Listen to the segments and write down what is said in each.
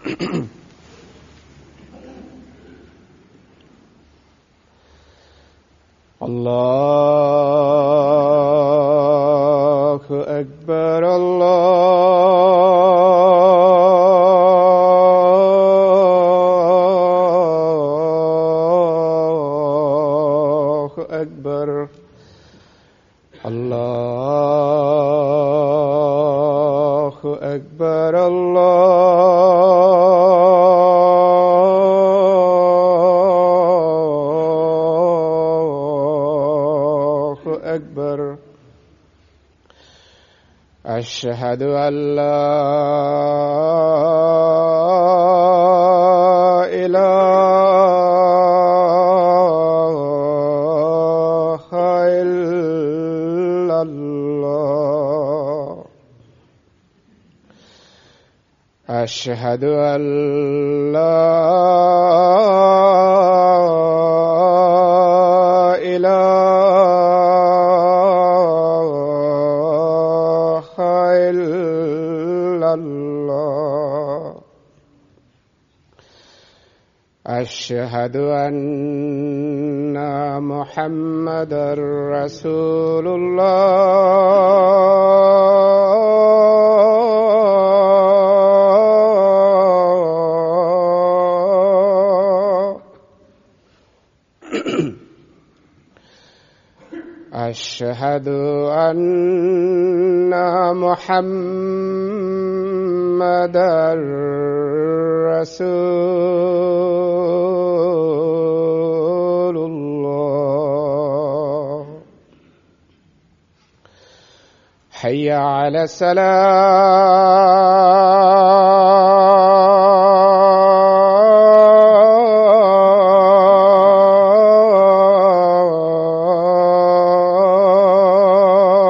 الله أكبر الله أكبر الله أكبر الله أكبر أشهد أن لا إله إلا الله أشهد أن لا إله إلا الله أشهد أن محمدا رسول الله أشهد أن محمدا رسول الله حي على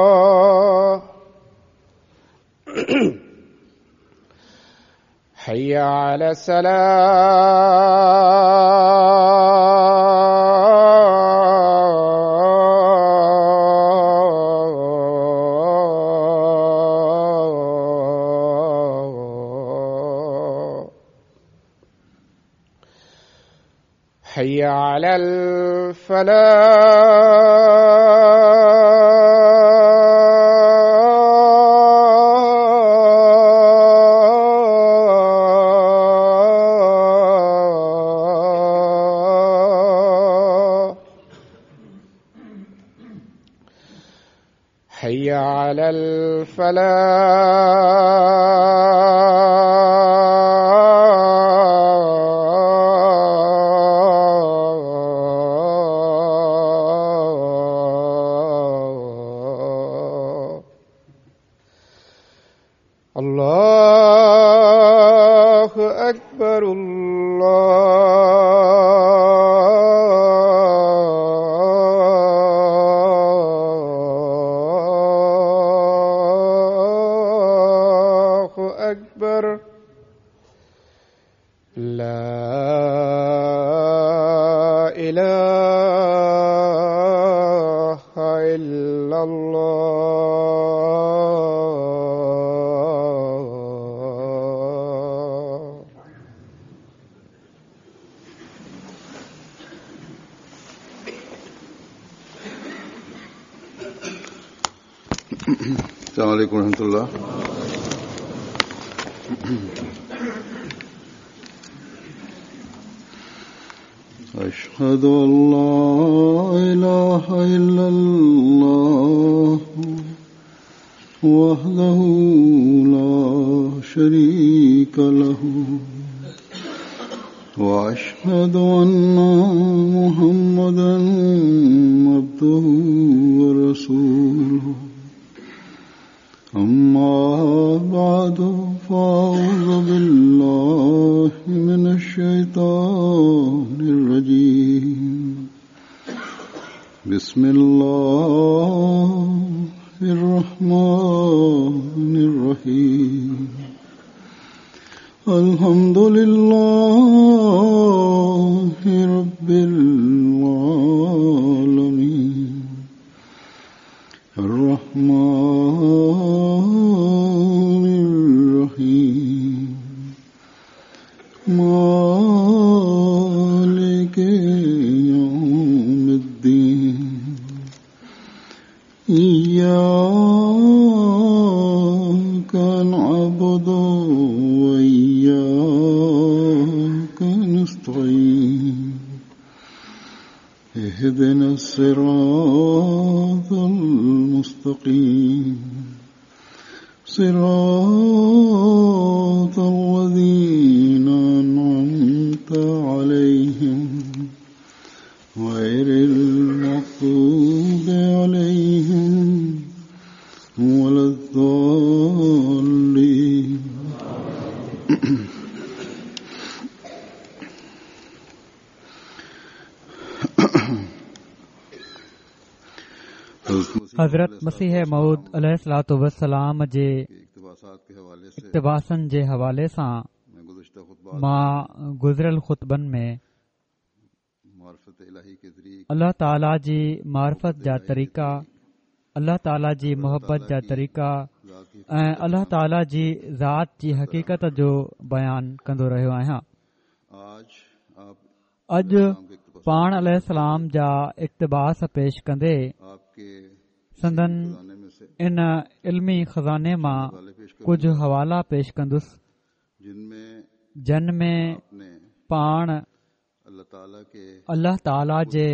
السلام حي على السلام حي على الفلاح حي على الفلاح الله أكبر الله أكبر لا إله إلا الله السلام عليكم ورحمة الله. أشهد أن لا إله إلا الله وحده لا شريك له وأشهد أن محمدا عبده ورسوله. أما بعد فأعوذ بالله من الشيطان الرجيم. بسم الله الرحمن الرحيم. الحمد لله رب العالمين الرحمن الرحيم مالك يوم الدين إياك نعبد وإياك نستعين اهدنا الصراط المستقيم صراط الذين أنعمت عليهم غير المغضوب عليهم ولا الضالين. حضرت مسيح موعود عليه الصلوة والسلام جي اقتباسن جي حوالي سان مان گذريل خطبن ۾ الله تعاليٰ جي معرفت جا طريقا، الله تعاليٰ جي محبت جا طريقا ۽ الله تعاليٰ جي ذات جي حقيقت جو بيان ڪندو رهيو آهيان. اڄ پاڻ عليه السلام جا اقتباس پيش ڪندي سندن ان علمي خزاني مان ڪجهه حوالا پيش ڪندس جن ۾ پاڻ الله تعاليٰ جي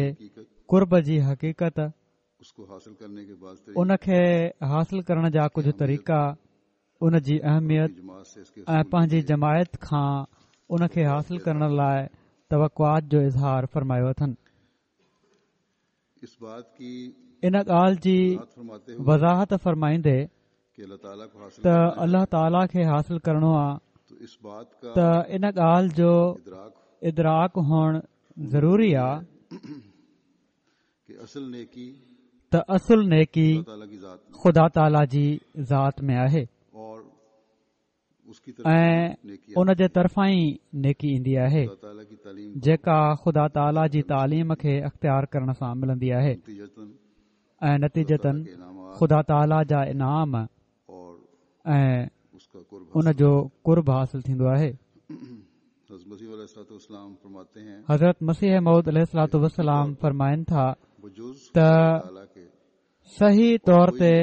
قرب جي حقيقت، ان کي حاصل ڪرڻ جا ڪجهه طريقا، ان جي اهميت ۽ پنهنجي جماعت کان ان کي حاصل ڪرڻ لاء توقعات جو اظهار فرمايو اٿن. ان ڳالهه جي وضاحت فرمائيندي ته الله تعاليٰ کي حاصل ڪرڻو آ ته ان ڳالهه جو ادراڪ هئڻ ضروري آ ته اصل نيڪي خدا تعاليٰ جي ذات ۾ آهي ۽ ان جي طرفان ئي نيڪي ايندي آهي جيڪا خدا تعاليٰ جي تعليم کي اختيار ڪرڻ سان ملندي آهي ۽ نتيجتاً خدا تعاليٰ جا انعام ۽ ان جو قرب حاصل ٿيندو آهي. حضرت مسيح موعود عليه الصلوة والسلام فرمائن ٿا ته صحيح طور تي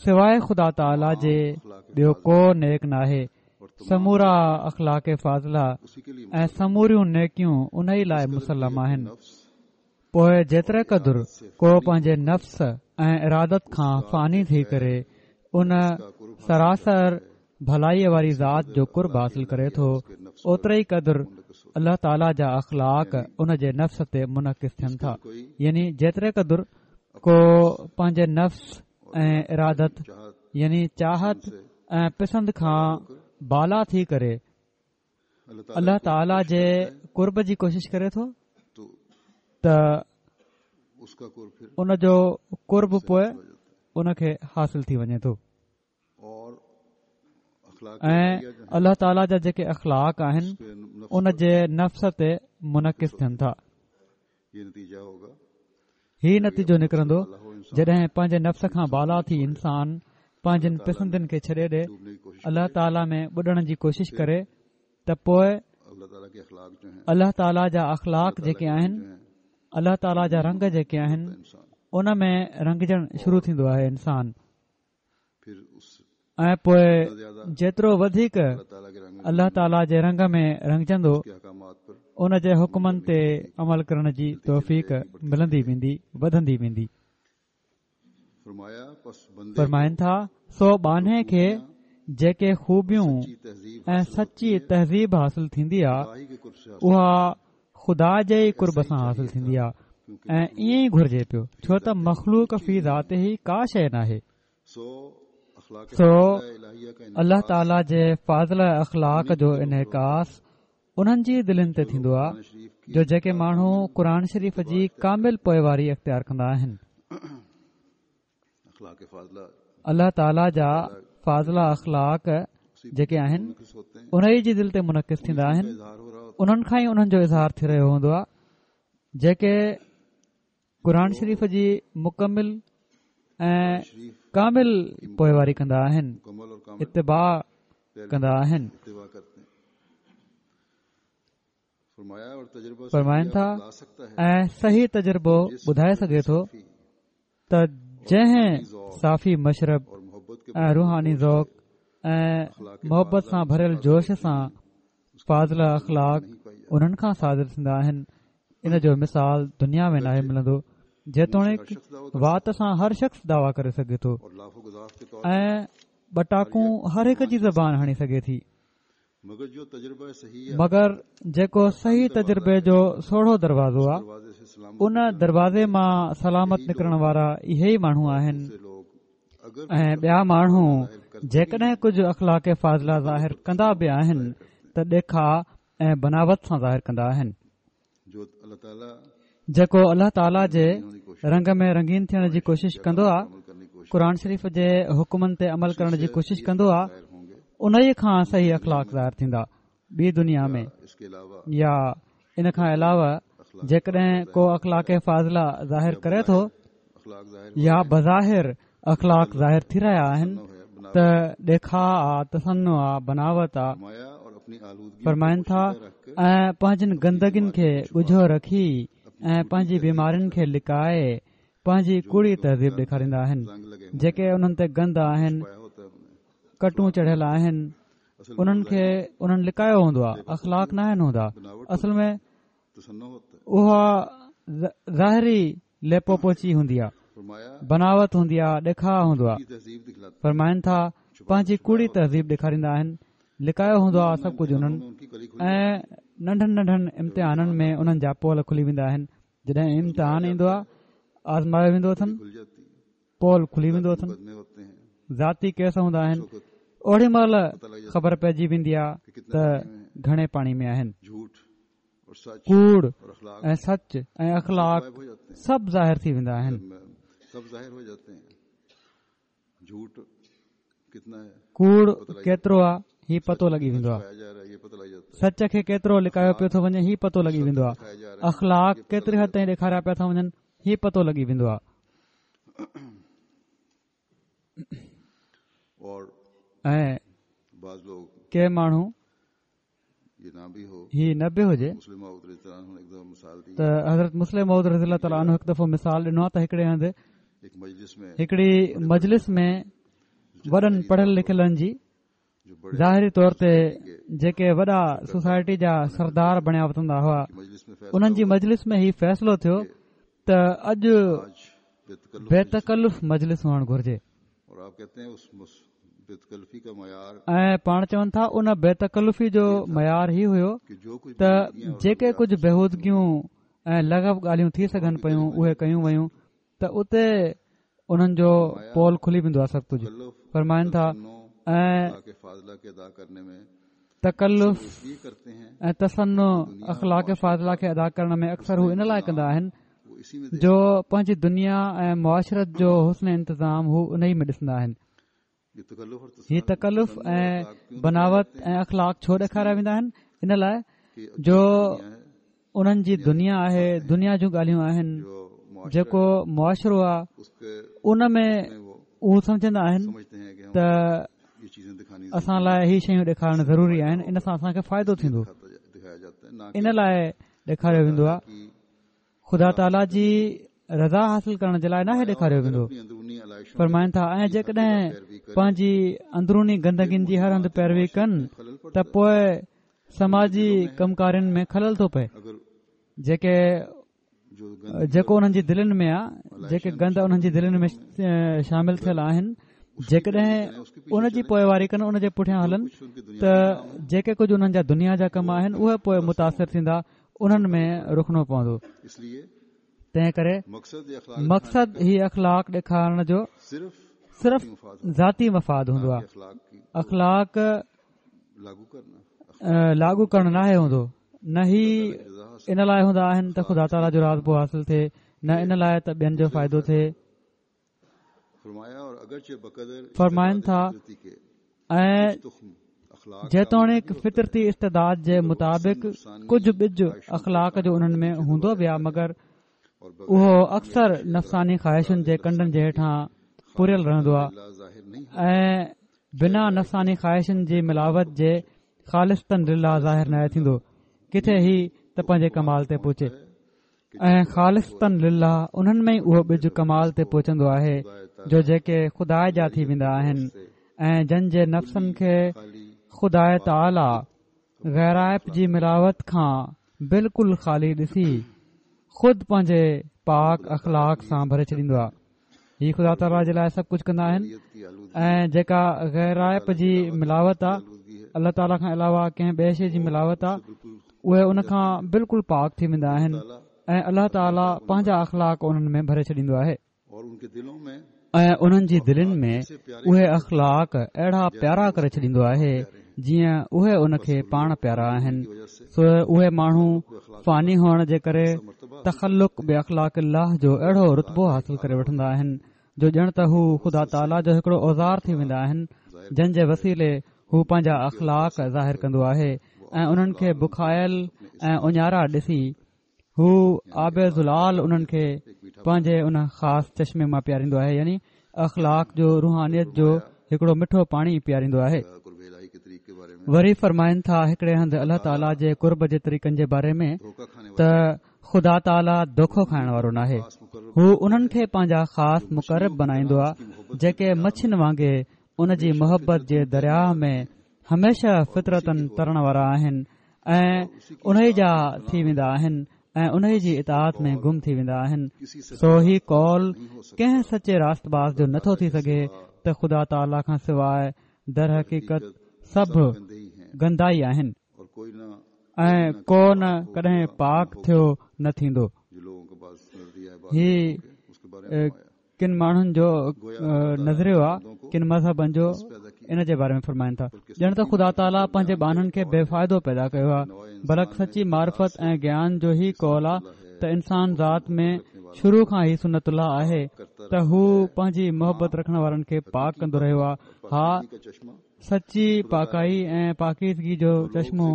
سواء خدا تعاليٰ جي ٻيو ڪو نيڪ ناهي، سمورا اخلاق فاضله ۽ سموريون نيڪيون ان ئي لاء مسلم آهن. پوء جيتري قدر ڪو پنهنجي نفس ۽ ارادت کان فاني ٿي ڪري ان سراسر ڀلائيء واري ذات جو قرب حاصل ڪري ٿو اوتري ئي قدر الله تعاليٰ جا اخلاق ان جي نفس تي منعڪس ٿين ٿا يعني جيتري قدر ڪو پنهنجي نفس ۽ ارادت يعني چاهت ۽ پسند کان بالا ٿي ڪري الله تعاليٰ جي قرب جي ڪوشش ڪري ٿو ته ان جو قرب پوء ان کي حاصل ٿي وڃي ٿو ۽ الله تعاليٰ جا جيڪي اخلاق آهن ان جي نفس تي منعڪس ٿين ٿا هي نتيجو نڪرندو جڏهن پنهنجي نفس کان بالا ٿي انسان پنهنجين پسندين کي ڇڏي ڏي الله تعاليٰ ۾ ٻڏڻ جي ڪوشش ڪري ته پوء الله تعاليٰ جا اخلاق جيڪي آهن الله تعاليٰ جا رنگ جيڪي آهن ان ۾ رنگجڻ شروع ٿيندو آهي انسان ۽ پوء جيترو وڌيڪ الله تعاليٰ جي رنگ ۾ رنگجندو ان جي حڪمن تي عمل ڪرڻ جي توفيق ملندي ويندي وڌندي ويندي. فرمائن ٿا سو ٻانهي کي جيڪي خوبيون ۽ سچي تهذيب حاصل ٿيندي آ اها خدا جي ئي قرب سان حاصل ٿيندي آ ۽ ائين ئي گهرجي پيو ڇو ته مخلوق في ذاته ڪا شيء ناهي سو الله تعاليٰ جي فاضله اخلاق جو انعڪاس انهن جي دلين تي ٿيندو آهي جو جيڪي ماڻهو قرآن شريف جي ڪامل پوئواري اختيار ڪندا آهن الله تعاليٰ جا فاضله اخلاق جيڪي آهن انهي جي دل تي منعڪس ٿيندا آهن انهن کان ئي انهن جو اظهار ٿي رهيو هوندو آهي جيڪي قرآن شريف جي مڪمل ۽ ڪامل پوئواري ڪندا آهن اتباع ڪندا آهن. فرمائن ٿا ۽ صحيح تجربو ٻڌائي سگهي ٿو ته جنهن صافي مشرب ۽ روحاني ذوق ۽ محبت سان ڀريل جوش سان فاضله اخلاق انهن کان صادر ٿيندا آهن ان جو مثال دنيا ۾ ناهي ملندو جيتوڻيڪ وات سان هر شخص دعويٰ ڪري سگهي ٿو ۽ ٻٽاڪون هر هڪ جي زبان هڻي سگهي ٿي مگر جيڪو صحيح تجربي جو سوڙهو دروازو آهي ان دروازي مان سلامت نڪرڻ وارا اهي ئي ماڻهو آهن ۽ ٻيا ماڻهو جيڪڏهن ڪجهه اخلاق فاضله ظاهر ڪندا به آهن ته ڏيکاء ۽ بناوت سان ظاهر ڪندا آهن. جيڪو الله تعاليٰ جي رنگ ۾ رنگين ٿيڻ جي ڪوشش ڪندو آهي، قرآن شريف جي حڪمن تي عمل ڪرڻ جي ڪوشش ڪندو آهي، انهيء کان صحيح اخلاق ظاهر ٿيندا. ٻي دنيا ۾ يا ان کان علاوه جيڪڏهن ڪو اخلاق فاضله ظاهر ڪري ٿو يا بظاهر اخلاق ظاهر ٿي رهيا آهن ته ڏيکاء آ تصنع آ بناوت آ فرمائن ٿا ۽ پنهنجن گندگين کي ڳجهو رکي ۽ پنهنجي بيمارين کي لڪائي پنهنجي ڪوڙي تهذيب ڏيکاريندا آهن جيڪي انهن تي گند آهن ڪٽون چڙهيل آهن انهن کي انهن لڪايو هوندو آهي اخلاق نه آهن هوندا اصل ۾ اها ظاهري ليپو پوچي هوندي آهي بناوت هوندي آهي ڏيکاء هوندو آهي فرمائن ٿا پنهنجي ڪوڙي تهذيب ڏيکاريندا آهن لڪايو هوندو آهي سڀ ڪجهه انهن ۽ ننڍن ننڍن امتحانن ۾ انهن جا پول کلي ويندا آهن جڏهن امتحان ايندو آهي آزمايو ويندو اٿن پول کلي ويندو اٿن ذاتي ڪيس هوندا آهن اوڏي مهل خبر پئجي ويندي آهي ته گهڻي پاڻي ۾ آهن ڪوڙ ۽ سچ ۽ اخلاق سڀ ظاهر ٿي ويندا آهن ڪوڙ ڪيترو آ هي پتو لڳي ويندو آ سچ کي ڪيترو لڪايو پيو ٿو وڃي هي پتو لڳي ويندو آ اخلاق ڪيتري حد تائين ڏيکاريا پيا ٿا وڃن هي پتو لڳي ويندو آ ۽ ڪي ماڻهو هي نه به هجي ته حضرت مصلح موعود رضي الله تعالٰي عنه هڪ دفعو مثال ڏنو آهي ته هڪڙي هنڌ هڪڙي مجلس ۾ وڏن پڙهيل لکيلن جي ظاهري طور تي جيڪي وڏا سوسائٽي جا سردار بڻيا وتندا هئا انهن جي مجلس ۾ هي فيصلو ٿيو ته اڄ بي تڪلف مجلس هئڻ گهرجي ۽ پاڻ چون ٿا ان بي تڪلفي جو معيار هي هيو ته جيڪي ڪجهه بيهودگيون ۽ لغو ڳالهيون ٿي سگهن پيون اهي ڪيون ويون ته اتي انهن جو پول کلي ويندو آهي سڀ ڪجهه فرمائن ٿا ۽ تڪلف ۽ تصنع اخلاق فاضله کي ادا ڪرڻ ۾ اڪثر هو ان لاء ڪندا آهن جو پنهنجي دنيا ۽ معاشرت جو حسن انتظام هو انهي ۾ ڏسندا آهن هي تڪلف ۽ بناوت ۽ اخلاق ڇو ڏيکاريا ويندا آهن ان لاء جو انهن جي دنيا آهي دنيا جون ڳالهيون آهن جيڪو معاشرو آهي ان ۾ اهو سمجهندا آهن ته اسان لاء هي شيون ڏيکارڻ ضروري آهن ان سان اسان کي فائدو ٿيندو ان لاء ڏيکاريو ويندو آهي خدا تعاليٰ جي رضا حاصل ڪرڻ جي لاء ناهي ڏيکاريو ويندو فرمائن ٿا ۽ جيڪڏهن پنهنجي اندروني گندگين جي هر هنڌ پيروي ڪن ته پوء سماجي ڪم ڪارين ۾ خلل ٿو پئي جيڪي جيڪو انهن جي دلين ۾ آ جيڪي گند انهن جي دلين ۾ شامل ٿيل آهن جيڪڏهن ان جي پوئواري ڪن ان جي پٺيان هلن ته جيڪي ڪجهه انهن جا دنيا جا ڪم آهن اهي پوء متاثر ٿيندا انهن ۾ رخنو پوندو تنهن ڪري مقصد هي اخلاق ڏيکارڻ جو صرف ذاتي مفاد هوندو آهي اخلاق لاڳو ڪرڻ ناهي هوندو نه هي ان لاء هوندا آهن ته خدا تعاليٰ جو راضپو حاصل ٿئي نه ان لاء ته ٻين جو فائدو ٿئي فرمائن ٿا ۽ جيتوڻيڪ فطرتي استعداد جي مطابق ڪجهه ٻج اخلاق جو انهن ۾ هوندو به آهي مگر اهو اڪثر نفساني خواهشن جي ڪنڊن جي هيٺان پوريل رهندو آهي ۽ بنا نفساني خواهشن جي ملاوت جي خالصتاً لله ظاهر ناهي ٿيندو ڪٿي هي ته پنهنجي ڪمال تي پهچي ۽ خالصتاً لله انهن ۾ ئي اهو ٻج ڪمال تي پهچندو آهي جو جيڪي خدا جا ٿي ويندا آهن ۽ جن جي نفسن کي خدا تعاليٰ غيرائپ جي ملاوت کان بلڪل خالي ڏسي خود پنهنجي پاڪ اخلاق سان ڀري ڇڏيندو آهي. هي خدا تعاليٰ جي لاء سڀ ڪجهه ڪندا آهن ۽ جيڪا غيرائپ جي ملاوت آهي الله تعاليٰ کان علاوه ڪنهن ٻئي شيء جي ملاوت آهي اهي ان کان بلڪل پاڪ ٿي ويندا آهن ۽ الله تعاليٰ پنهنجا اخلاق انهن ۾ ڀري ڇڏيندو آهي. ۽ انهن جي دلين ۾ اهي اخلاق اهڙا پيارا ڪري ڇڏيندو آهي جيئن اهي ان کي پاڻ پيارا آهن سو اهي ماڻهو فاني هئڻ جي ڪري تخلق باخلاق الله جو اهڙو رتبو حاصل ڪري وٺندا آهن جو ڄڻ ته هو خدا تعاليٰ جو هڪڙو اوزار ٿي ويندا آهن جن جي وسيلي هو پنهنجا اخلاق ظاهر ڪندو آهي ۽ انهن کي بکايل ۽ اڃارا ڏسي هو آب زلال انهن کي پنهنجي ان خاص چشمي مان پياريندو آهي يعني اخلاق جو روحانيت جو هڪڙو مٺو پاڻي پياريندو آهي وري فرمائن ٿا هڪڙي هنڌ الله تعاليٰ جي قرب جي طريقن جي باري ۾ ته خدا تعاليٰ دوکو کائڻ وارو ناهي هو انهن کي پنهنجا خاص مقرب بنائيندو آهي جيڪي مڇين وانگي ان جي محبت جي درياهه ۾ هميشه فطرتاً ترڻ وارا آهن ۽ انهي جا ٿي ويندا آهن ۽ انهي جي اطاعت ۾ گم ٿي ويندا آهن سو هي قول ڪنهن سچي راست باز جو نٿو ٿي سگهي ته خدا تعاليٰ کان سواء درحقيقت سڀ گندا ئي آهن ۽ ڪو نه ڪڏهن پاڪ ٿيو نه ٿيندو هي ڪن ماڻهن جو نظريو آ ڪن مذهبن جو ان جي باري ۾ فرمائن ٿا ڄڻ ته خدا تعاليٰ پنهنجي ٻانهن کي بي فائدو پيدا ڪيو آ بلڪ سچي معرفت ۽ گيان جو هي قول آ ته انسان ذات ۾ شروع کان هي سنت الله آهي ته هو پنهنجي محبت رکڻ وارن کي پاڪ ڪندو رهيو آ ها سچي پاڪائي ۽ پاڪيزگي جو چشمو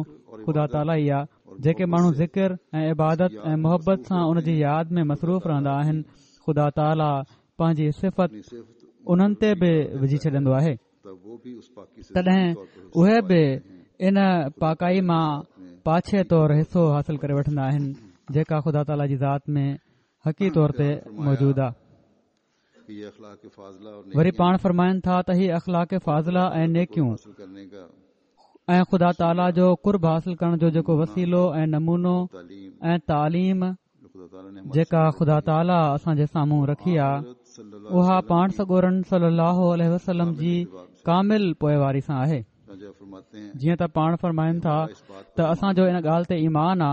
خدا تعاليٰ ئي آ جيڪي ماڻهو ذڪر ۽ عبادت ۽ محبت سان ان جي ياد ۾ مصروف رهندا آهن خدا تعاليٰ پنهنجي صفت انهن تي به وجهي ڇڏندو آهي تڏهن اهي به ان پاڪائي مان پاڇي طور حصو حاصل ڪري وٺندا آهن جيڪا خدا تعاليٰ جي ذات ۾ حقي طور تي موجود آهي وري پاڻ فرمائن ٿا ته هي اخلاق فاضله ۽ نيڪيون ۽ خدا تعاليٰ جو قرب حاصل ڪرڻ جو جيڪو وسيلو ۽ نمونو ۽ تعليم جيڪا خدا تعاليٰ اسان جي سامهون رکي آ اها پاڻ سڳورن صلي الله عليه وسلم جي ڪامل پوئواري سان آهي جيئن ته پاڻ فرمائن ٿا ته اسان جو ان ڳالهه تي ايمان آ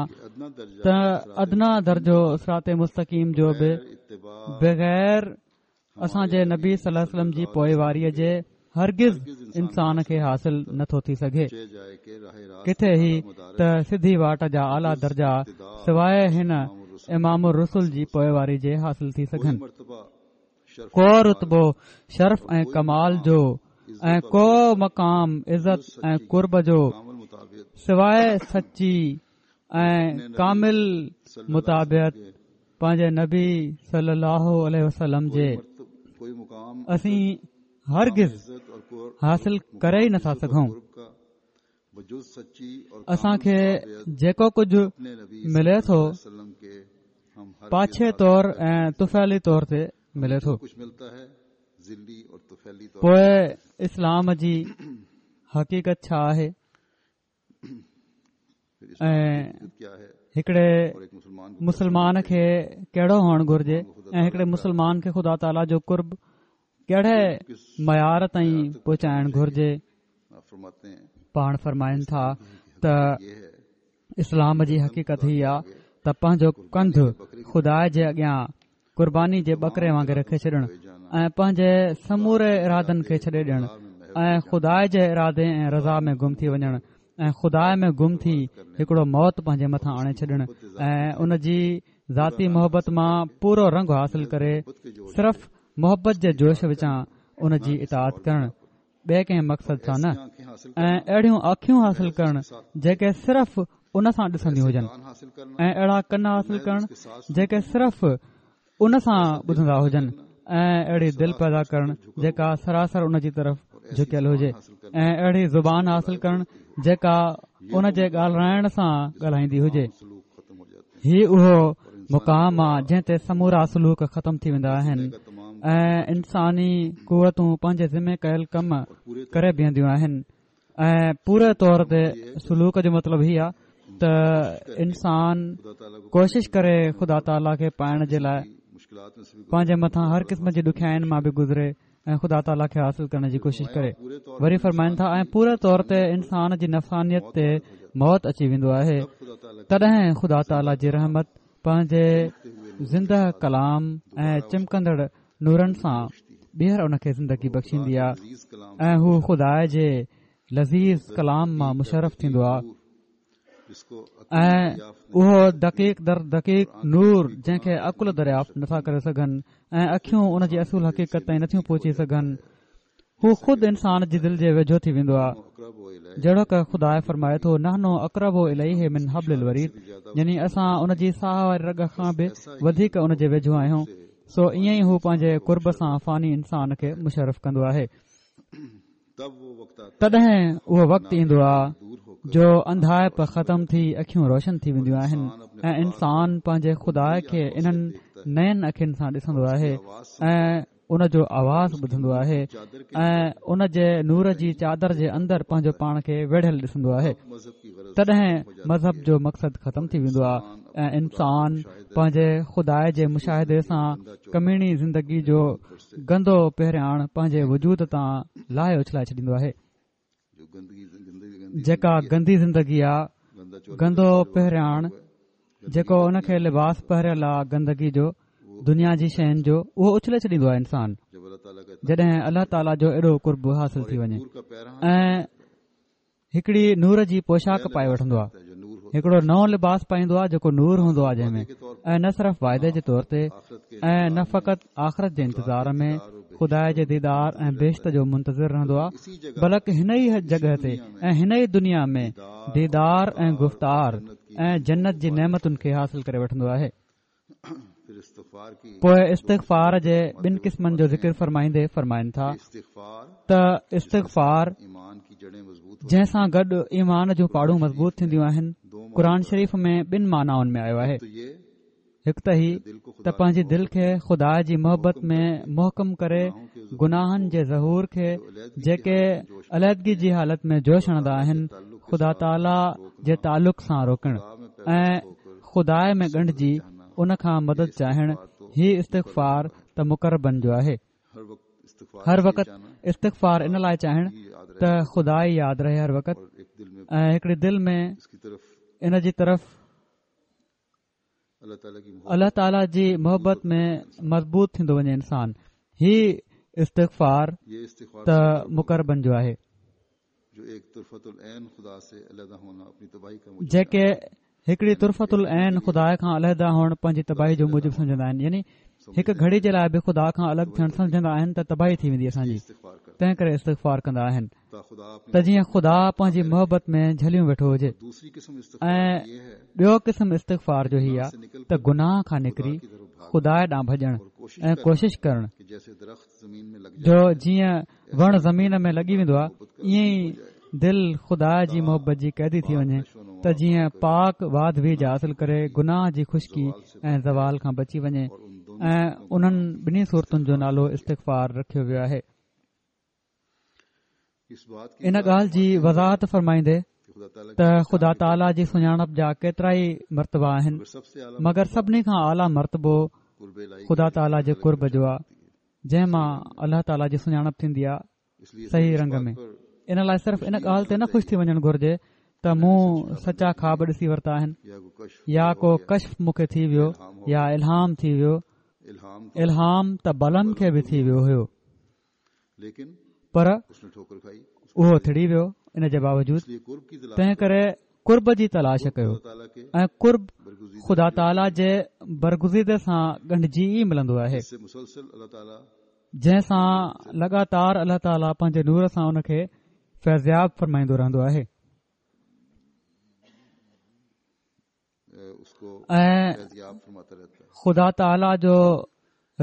ته ادنيٰ درجو صراط مستقيم جو به بغير اسان جي نبي صلي الله عليه وسلم جي پوئواريء جي هرگز انسان کي حاصل نٿو ٿي سگهي ڪٿي هي ته سڌي واٽ جا اعليٰ درجا سواء هن امام الرسل جي پوئواري جي حاصل ٿي سگهن ڪو رتبو شرف ۽ ڪمال جو ۽ ڪو مقام عزت ۽ قرب جو سواء سچي ۽ ڪامل متابعت پنهنجي نبي صلي الله عليه وسلم جي اسين هرگز حاصل ڪري ئي نٿا سگهون اسان کي جيڪو ڪجهه ملي ٿو پاڇي طور ۽ طفيلي طور تي ملي ٿو پوء اسلام جي حقيقت ڇا آهي ۽ هڪڙي مسلمان کي ڪهڙو هئڻ گهرجي ۽ هڪڙي مسلمان کي خدا تعاليٰ جو قرب ڪهڙي معيار تائين پهچائڻ گهرجي پاڻ فرمائن ٿا ته اسلام جي حقيقت هي آ ته پنهنجو ڪنڌ خدا جي اڳيان قرباني جي ٻڪري وانگر رکي ڇڏڻ ۽ پنهنجي سموري ارادن کي ڇڏي ڏيڻ ۽ خدا جي ارادي ۽ رضا ۾ گم ٿي وڃڻ ۽ خدا ۾ گم ٿي هڪڙو موت پنهنجي مٿان آڻي ڇڏڻ ۽ ان جي ذاتي محبت مان پورو رنگ حاصل ڪري صرف محبت جي جوش وچان ان جي اطاعت ڪرڻ ٻئي ڪنهن مقصد سان نه ۽ اهڙيون اکيون حاصل ڪرڻ جيڪي صرف ان سان ڏسنديون هجن ۽ اهڙا ڪن حاصل ڪرڻ جيڪي صرف ان سان ٻڌندا هجن ۽ اهڙي دل پيدا ڪرڻ جيڪا سراسر ان جي طرف جهڪيل هجي ۽ اهڙي زبان حاصل ڪرڻ جيڪا ان جي ڳالهائڻ سان ڳالهائيندي هجي. هي اهو مقام آ جنهن تي سمورا سلوڪ ختم ٿي ويندا آهن ۽ انساني قوتون پنهنجي ذمي ڪيل ڪم ڪري بيهنديون آهن ۽ پوري طور تي سلوڪ جو مطلب هي آ ته انسان ڪوشش ڪري خدا تعاليٰ کي پائڻ جي لاء پنهنجي مٿان هر قسم جي ڏکيائين مان به گذري ۽ خدا تعاليٰ کي حاصل ڪرڻ جي ڪوشش ڪري. وري فرمائن ٿا ۽ پوري طور تي انسان جي نفسانيت تي موت اچي ويندو آهي تڏهن خدا تعاليٰ جي رحمت پنهنجي زنده ڪلام ۽ چمڪندڙ نورن سان ٻيهر ان کي زندگي بخشيندي آهي ۽ هو خدا جي لذيذ ڪلام مان مشرف ٿيندو آهي. ۽ اهو دقيق در دقيق نور جنهن کي عقل دريافت نٿا ڪري سگهن ۽ اکيون ان جي اصل حقيقت تائين نٿيون پهچي سگهن هو خود انسان جي دل جي ويجهو ٿي ويندو آهي جهڙوڪ خدا فرمائي ٿو نحن اقرب اليه من حبل الوريد يعني اسان ان جي ساهه واري رڳ کان به وڌيڪ ان جي ويجهو آهيون سو ائين ئي هو پنهنجي قرب سان فاني انسان کي مشرف ڪندو آهي تڏهن اهو وقت ايندو آهي جو انڌائپ ختم ٿي اکيون روشن ٿي وينديون آهن ۽ انسان پنهنجي خدا کي انهن نين اکين سان ڏسندو آهي ۽ ان جو آواز ٻڌندو آهي ۽ ان جي نور جي چادر جي اندر پنهنجو پاڻ کي ويڙهيل ڏسندو آهي تڏهن مذهب جو مقصد ختم ٿي ويندو آهي ۽ انسان پنهنجي خدا جي مشاهدي سان ڪميڻي زندگي جو گندو پهرياڻ پنهنجي وجود تان لاهي اڇلائي ڇڏيندو آهي. جيڪا گندي زندگي آ، گندو پهرياڻ جيڪو ان کي لباس پهريل آ گندگي جو، دنيا جي شين جو، اهو اڇلي ڇڏيندو آ انسان جڏهن الله تعاليٰ جو ايڏو قرب حاصل ٿي وڃي ۽ هڪڙي نور جي پوشاڪ پائي وٺندو آهي هڪڙو نئون لباس پائيندو آهي جيڪو نور هوندو آهي جنهن ۾ ۽ نه صرف واعدي جي طور تي ۽ نه فقط آخرت جي انتظار ۾ خدا جي ديدار ۽ بهشت جو منتظر رهندو آهي بلڪ هن ئي جڳهه تي ۽ هن ئي دنيا ۾ ديدار ۽ گفتار ۽ جنت جي نعمتن کي حاصل ڪري وٺندو آهي پوء استغفار جي ٻن قسمن جو ذڪر فرمائيندي فرمائن ٿا ته استغفار جنهن سان گڏ ايمان جون پاڙون مضبوط ٿينديون آهن قرآن شريف ۾ ٻن معنائن ۾ آيو آهي هڪ ته هي ته پنهنجي دل کي خدا جي محبت ۾ محڪم ڪري گناهن جي ظهور کي جيڪي علحدگي جي حالت ۾ جوش هڻندا آهن خدا تعاليٰ جي تعلق سان روڪڻ ۽ خدا ۾ ڳنڍجي ان کان مدد چاهڻ هي استغفار ته مقربن جو آهي. هر وقت استغفار ان لاء چاهڻ ته خدا ئي ياد رهي هر وقت ۽ هڪڙي دل ۾ ان جي طرف الله تعاليٰ جي محبت ۾ مضبوط ٿيندو وڃي انسان هي استغفار ته مقربن جو آهي. جيڪي هڪڙي طرفة العين خدا کان علحده هئڻ پنهنجي تباهي جو موجب سمجهندا آهن يعني هڪ گهڙي جي لاء به خدا کان الڳ ٿيڻ سمجهندا آهن ته تباهي ٿي ويندي اسان جي تنهن ڪري استغفار ڪندا آهن ته جيئن خدا پنهنجي محبت ۾ جهليون ويٺو هجي ۽ ٻيو قسم استغفار جو هي آهي ته گناهه کان نڪري خدا ڏانهن ڀڄڻ ۽ ڪوشش ڪرڻ جو جيئن وڻ زمين ۾ لڳي ويندو آهي ائين ئي دل خدا جي محبت جي قيدي ٿي وڃي ته جيئن پاڪ واڌ ويجهه حاصل ڪري گناهه جي خشڪي ۽ زوال کان بچي وڃي ۽ انهن ٻنهي صورتن جو نالو استغفار رکيو ويو آهي. ان ڳالهه جي وضاحت فرمائيندي ته خدا تعاليٰ جي سڃاڻپ جا ڪيترائي مرتبا آهن مگر سڀني کان اعليٰ مرتبو خدا تعاليٰ جي قرب جو آهي جنهن مان الله تعاليٰ جي سڃاڻپ ٿيندي آهي صحيح رنگ ۾ ان لاء صرف ان ڳالهه تي نه خوش ٿي وڃڻ گهرجي ته مون سچا خواب ڏسي ورتا آهن يا ڪو ڪشف مون کي ٿي ويو يا الهام ٿي ويو الهام ته بلعم کي به ٿي ويو هيو پر اهو ٿڙي ويو ان جي باوجود تنهن ڪري قرب جي تلاش ڪيو ۽ قرب خدا تعاليٰ جي برگزيده سان ڳنڍجي ئي ملندو آهي جنهن سان لڳاتار الله تعاليٰ پنهنجي نور سان ان کي فيضياب فرمائيندو رهندو آهي ۽ خدا تعاليٰ جو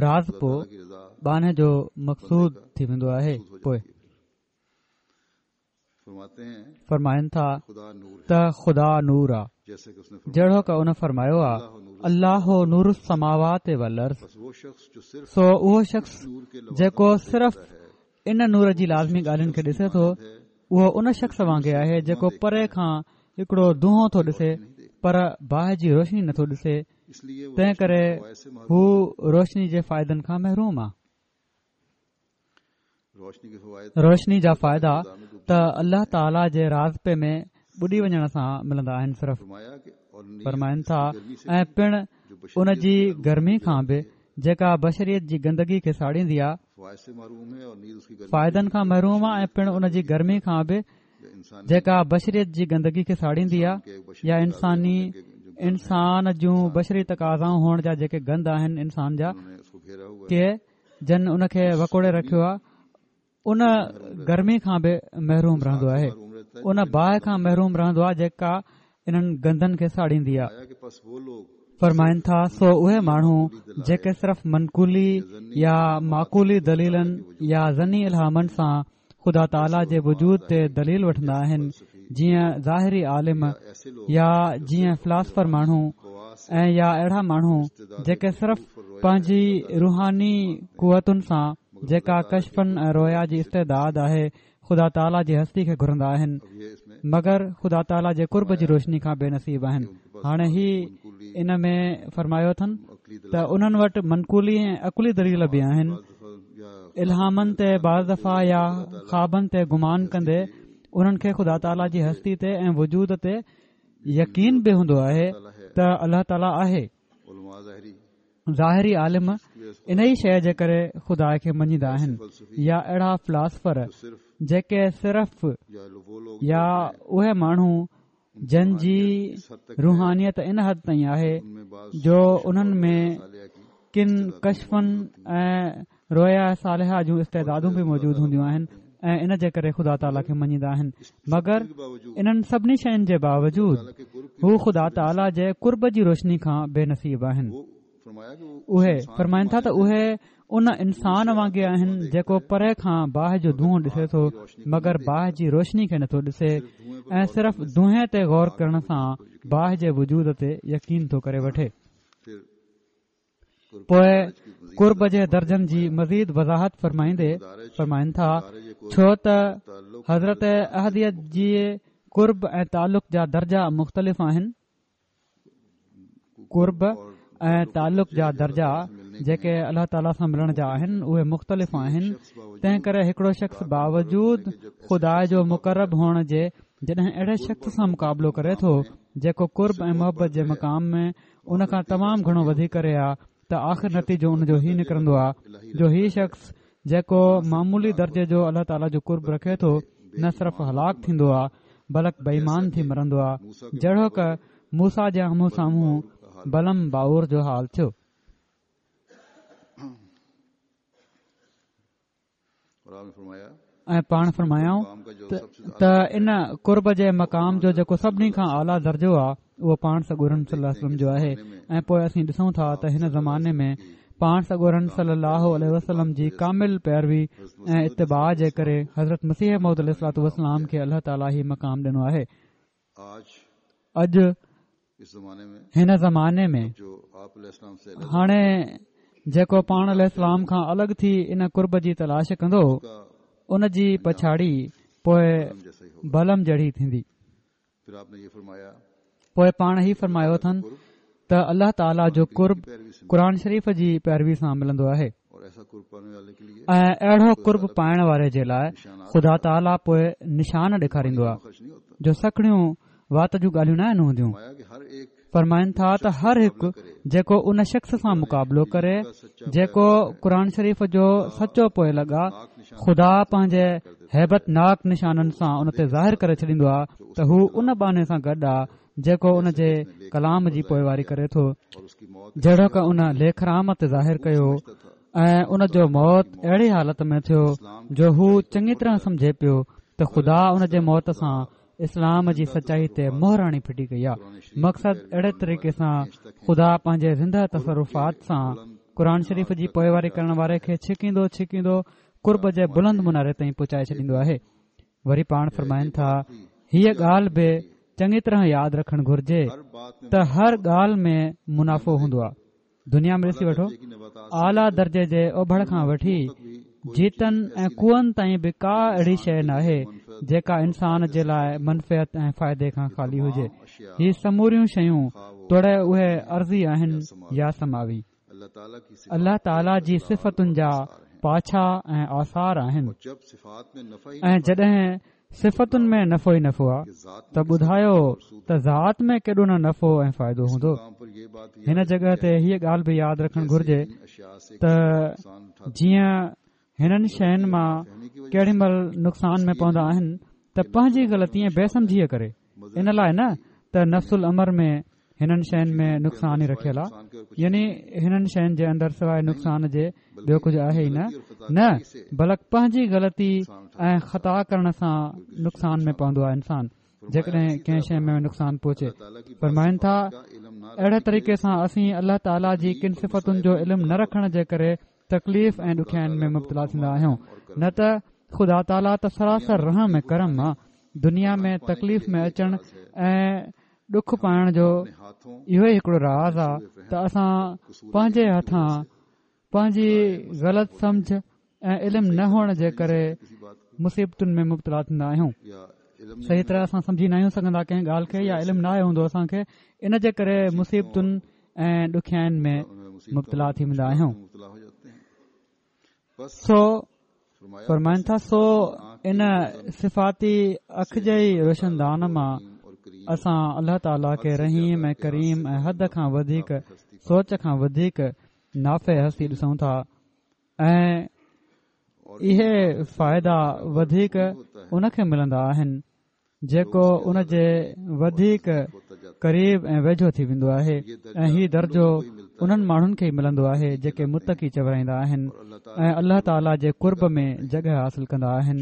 راضپو ٻانهي جو مقصود ٿي ويندو آهي پوء فرمائن ٿا ته خدا نور آ. جهڙوڪ ان فرمايو آ، الله نور السماوات والارض سو اهو شخص جيڪو صرف ان نور جي لازمي ڳالهين کي ڏسي ٿو اهو ان شخص وانگي آهي جيڪو پري کان هڪڙو دونهون ٿو ڏسي پر باهه جي روشني نٿو ڏسي تنهن ڪري هو روشني جي فائدن کان محروم آ. روشني جا فائدا ته الله تعاليٰ جي راضپي ۾ ٻڏي وڃڻ سان ملندا آهن صرف فرمائن ٿا ۽ پڻ ان جي گرمي کان به جيڪا بشريت جي گندگي کي ساڙيندي آ فائدن کان محروم آ ۽ پڻ ان جي گرمي کان به جيڪا بشريت جي گندگي کي ساڙيندي آ يا انساني انسان جون بشري تقاضائون هئڻ جا جيڪي گند آهن انسان جا ڪي جن ان کي وڪوڙي رکيو آهي ان گرمي کان به محروم رهندو آهي ان باهه کان محروم رهندو آهي جيڪا انهن گندن کي ساڙيندي آهي فرمائن ٿا سو اهي ماڻهو جيڪي صرف منقولي يا معقولي دليلن يا ظني الهامن سان خدا تعاليٰ جي وجود تي دليل وٺندا آهن جيئن ظاهري عالم يا جيئن فلاسفر ماڻهو ۽ يا اهڙا ماڻهو جيڪي صرف پنهنجي روحاني قوتن سان جيڪا ڪشفن ۽ رويا جي استعداد آهي خدا تعاليٰ جي هستي کي گهرندا آهن مگر خدا تعاليٰ جي قرب جي روشني کان بي نصيب آهن هاڻي هي ان ۾ فرمايو اٿن ته انهن وٽ منقولي ۽ عقلي دليل به آهن الهامن تي بعض دفعا يا خوابن تي گمان ڪندي انهن کي خدا تعاليٰ جي هستي تي ۽ وجود تي يقين به هوندو آهي ته الله تعاليٰ آهي ظاهري عالم انهي شيء جي ڪري خدا کي مڃيندا آهن يا اهڙا فلاسفر جيڪي صرف يا اهي ماڻهو جن جي روحانيت ان حد تائين آهي جو انهن ۾ ڪن ڪشفن ۽ رويا صالحه جون استعدادون به موجود هونديون آهن ۽ ان جي ڪري خدا تعاليٰ کي مڃيندا آهن مگر انهن سڀني شين جي باوجود هو خدا تعاليٰ جي قرب جي روشني کان بي نصيب آهن اهي فرمائن ٿا ته اهي ان انسان وانگي آهن جيڪو پري کان باهه جو دونهون ڏسي ٿو مگر باهه جي روشني کي نٿو ڏسي ۽ صرف دونهين تي غور ڪرڻ سان باهه جي وجود تي يقين ٿو ڪري وٺي. پوء قرب جي درجن جي مزيد وضاحت فرمائيندي فرمائن ٿا ڇو ته حضرت احديت جي قرب ۽ تعلق جا درجا مختلف آهن قرب ۽ تعلق جا درجا جيڪي الله تعاليٰ سان ملڻ جا آهن اهي مختلف آهن تنهن ڪري هڪڙو شخص باوجود خدا جو مقرب هئڻ جي جڏهن اهڙي شخص سان مقابلو ڪري ٿو جيڪو قرب ۽ محبت جي مقام ۾ ان کان تمام گهڻو وڌي ڪري آ ته آخر نتيجو ان جو هي نڪرندو آ جو هي شخص جيڪو معمولي درجي جو الله تعاليٰ جو قرب رکي ٿو نه صرف هلاڪ ٿيندو آ بلڪ بي ايمان ٿي مرندو آ جهڙوڪ موسيٰ جي آمهون سامهون بلعم باعور جو حال ٿيو. ۽ پاڻ فرمايائون ته ان قرب جي مقام جو جيڪو سڀني کان اعليٰ درجو آهي اهو پاڻ سڳورن صلي الله عليه وسلم جو آهي ۽ پوء اسين ڏسون ٿا ته هن زماني ۾ پاڻ سڳورن صلي الله عليه وسلم جي ڪامل پيروي ۽ اتباع جي ڪري حضرت مسيح موعود عليه الصلوٰة والسلام کي الله تعاليٰ هي مقام ڏنو آهي اڄ هن زماني ۾ هاڻي جيڪو پاڻ عليه السلام کان الڳ ٿي ان قرب جي تلاش ڪندو ان جي پڇاڙي پوء بلعم جهڙي ٿيندي پوء پاڻ هي فرمايو اٿن ته الله تعاليٰ جو قرب قرآن شريف جي پيروي سان ملندو آهي ۽ اهڙو قرب پائڻ واري جي لاء خدا تعاليٰ پوء نشان ڏيکاريندو آهي جو سکڻيون وات جون ڳالهيون ناهن هونديون فرمائن ٿا ته هر هڪ جيڪو ان شخص سان مقابلو ڪري جيڪو قرآن شريف جو سچو پوئلڳ آ خدا پنهنجي هيبت ناڪ نشانن سان ان تي ظاهر ڪري ڇڏيندو آ ته هو ان ٻانهي سان گڏ آ جيڪو ان جي ڪلام جي پوئواري ڪري ٿو جهڙوڪ ان ليکرام تي ظاهر ڪيو ۽ ان جو موت اهڙي حالت ۾ ٿيو جو هو چڱي طرح سمجهي پيو ته خدا ان جي موت سان اسلام جي سچائي تي مهر هڻي ڦٽي ڪئي آهي مقصد اهڙي طريقي سان خدا پنهنجي زنده تصرفات سان قرآن شريف جي پوئواري ڪرڻ واري کي ڇڪيندو ڇڪيندو قرب جي بلند مناري تائين پهچائي ڇڏيندو آهي وري پاڻ فرمائن ٿا هيء ڳالهه به. چڱي طرح ياد رکڻ گهرجي ته هر ڳالهه ۾ منافعو هوندو آهي. دنيا ۾ ڏسي وٺو، اعليٰ درجي جي اوڀڙ کان وٺي جيتن ۽ ڪوئن تائين به ڪا اهڙي شيء ناهي جيڪا انسان جي لاء منفعت ۽ فائدي کان خالي هجي. هي سموريون شيون توڙي اهي ارضي آهن يا سماوي. الله تعاليٰ جي صفتن جا پاڇا ۽ آثار آهن ۽ جڏهن صفتن ۾ نفعو ئي نفعو آ ته ٻڌايو ته ذات ۾ ڪيڏو نه نفعو ۽ فائدو هوندو. هن جڳهه تي هيء ڳالهه به ياد رکڻ گهرجي ته جيئن هنن شين مان ڪيڏي مهل نقصان ۾ پوندا آهن ته پنهنجي غلطي ۽ بي سمجهيء ڪري ان لاء نه ته نفس الامر ۾ هنن شين ۾ نقصان ئي رکيل آ يعني هنن شين جي اندر سواء نقصان جي ٻيو ڪجهه آهي ئي نه نه بلڪ پنهنجي غلطي ۽ خطا ڪرڻ سان نقصان ۾ پوندو آ انسان جيڪڏهن ڪنهن شيء ۾ نقصان پهچي فرمائن ٿا اهڙي طريقي سان اسين الله تعاليٰ جي ڪن صفتن جو علم نه رکڻ جي ڪري تڪليف ۽ ڏکيائين ۾ مبتلا ٿيندا آهيون نه ته خدا تعاليٰ ته سراسر رحم ۽ ڪرم آ دنيا ۾ تڪليف ۾ اچڻ ۽ ڏک پائڻ جو اهو ئي هڪڙو راز آ ته اسان پنهنجي هٿان پنهنجي غلط سمجه ۽ علم نه هئڻ جي ڪري مصيبتن ۾ مبتلا ٿيندا آهيون صحيح طرح اسان سمجهي ناهيون سگهندا ڪنهن ڳالهه کي يا علم ناهي هوندو اسان کي ان جي ڪري مصيبتن ۽ ڏکيائين ۾ مبتلا ٿي ويندا آهيون سو فرمائن ٿا سو ان صفاتي اک جي ئي روشندان مان اسان الله تعاليٰ کي رحيم ۽ ڪريم ۽ حد کان وڌيڪ سوچ کان وڌيڪ نافع هستي ڏسون ٿا ۽ اهي فائدا وڌيڪ ان کي ملندا آهن جيڪو ان جي وڌيڪ قريب ۽ ويجهو ٿي ويندو آهي ۽ هي درجو انهن ماڻهن کي ئي ملندو آهي جيڪي متقي چورائيندا آهن ۽ الله تعاليٰ جي قرب ۾ جڳهه حاصل ڪندا آهن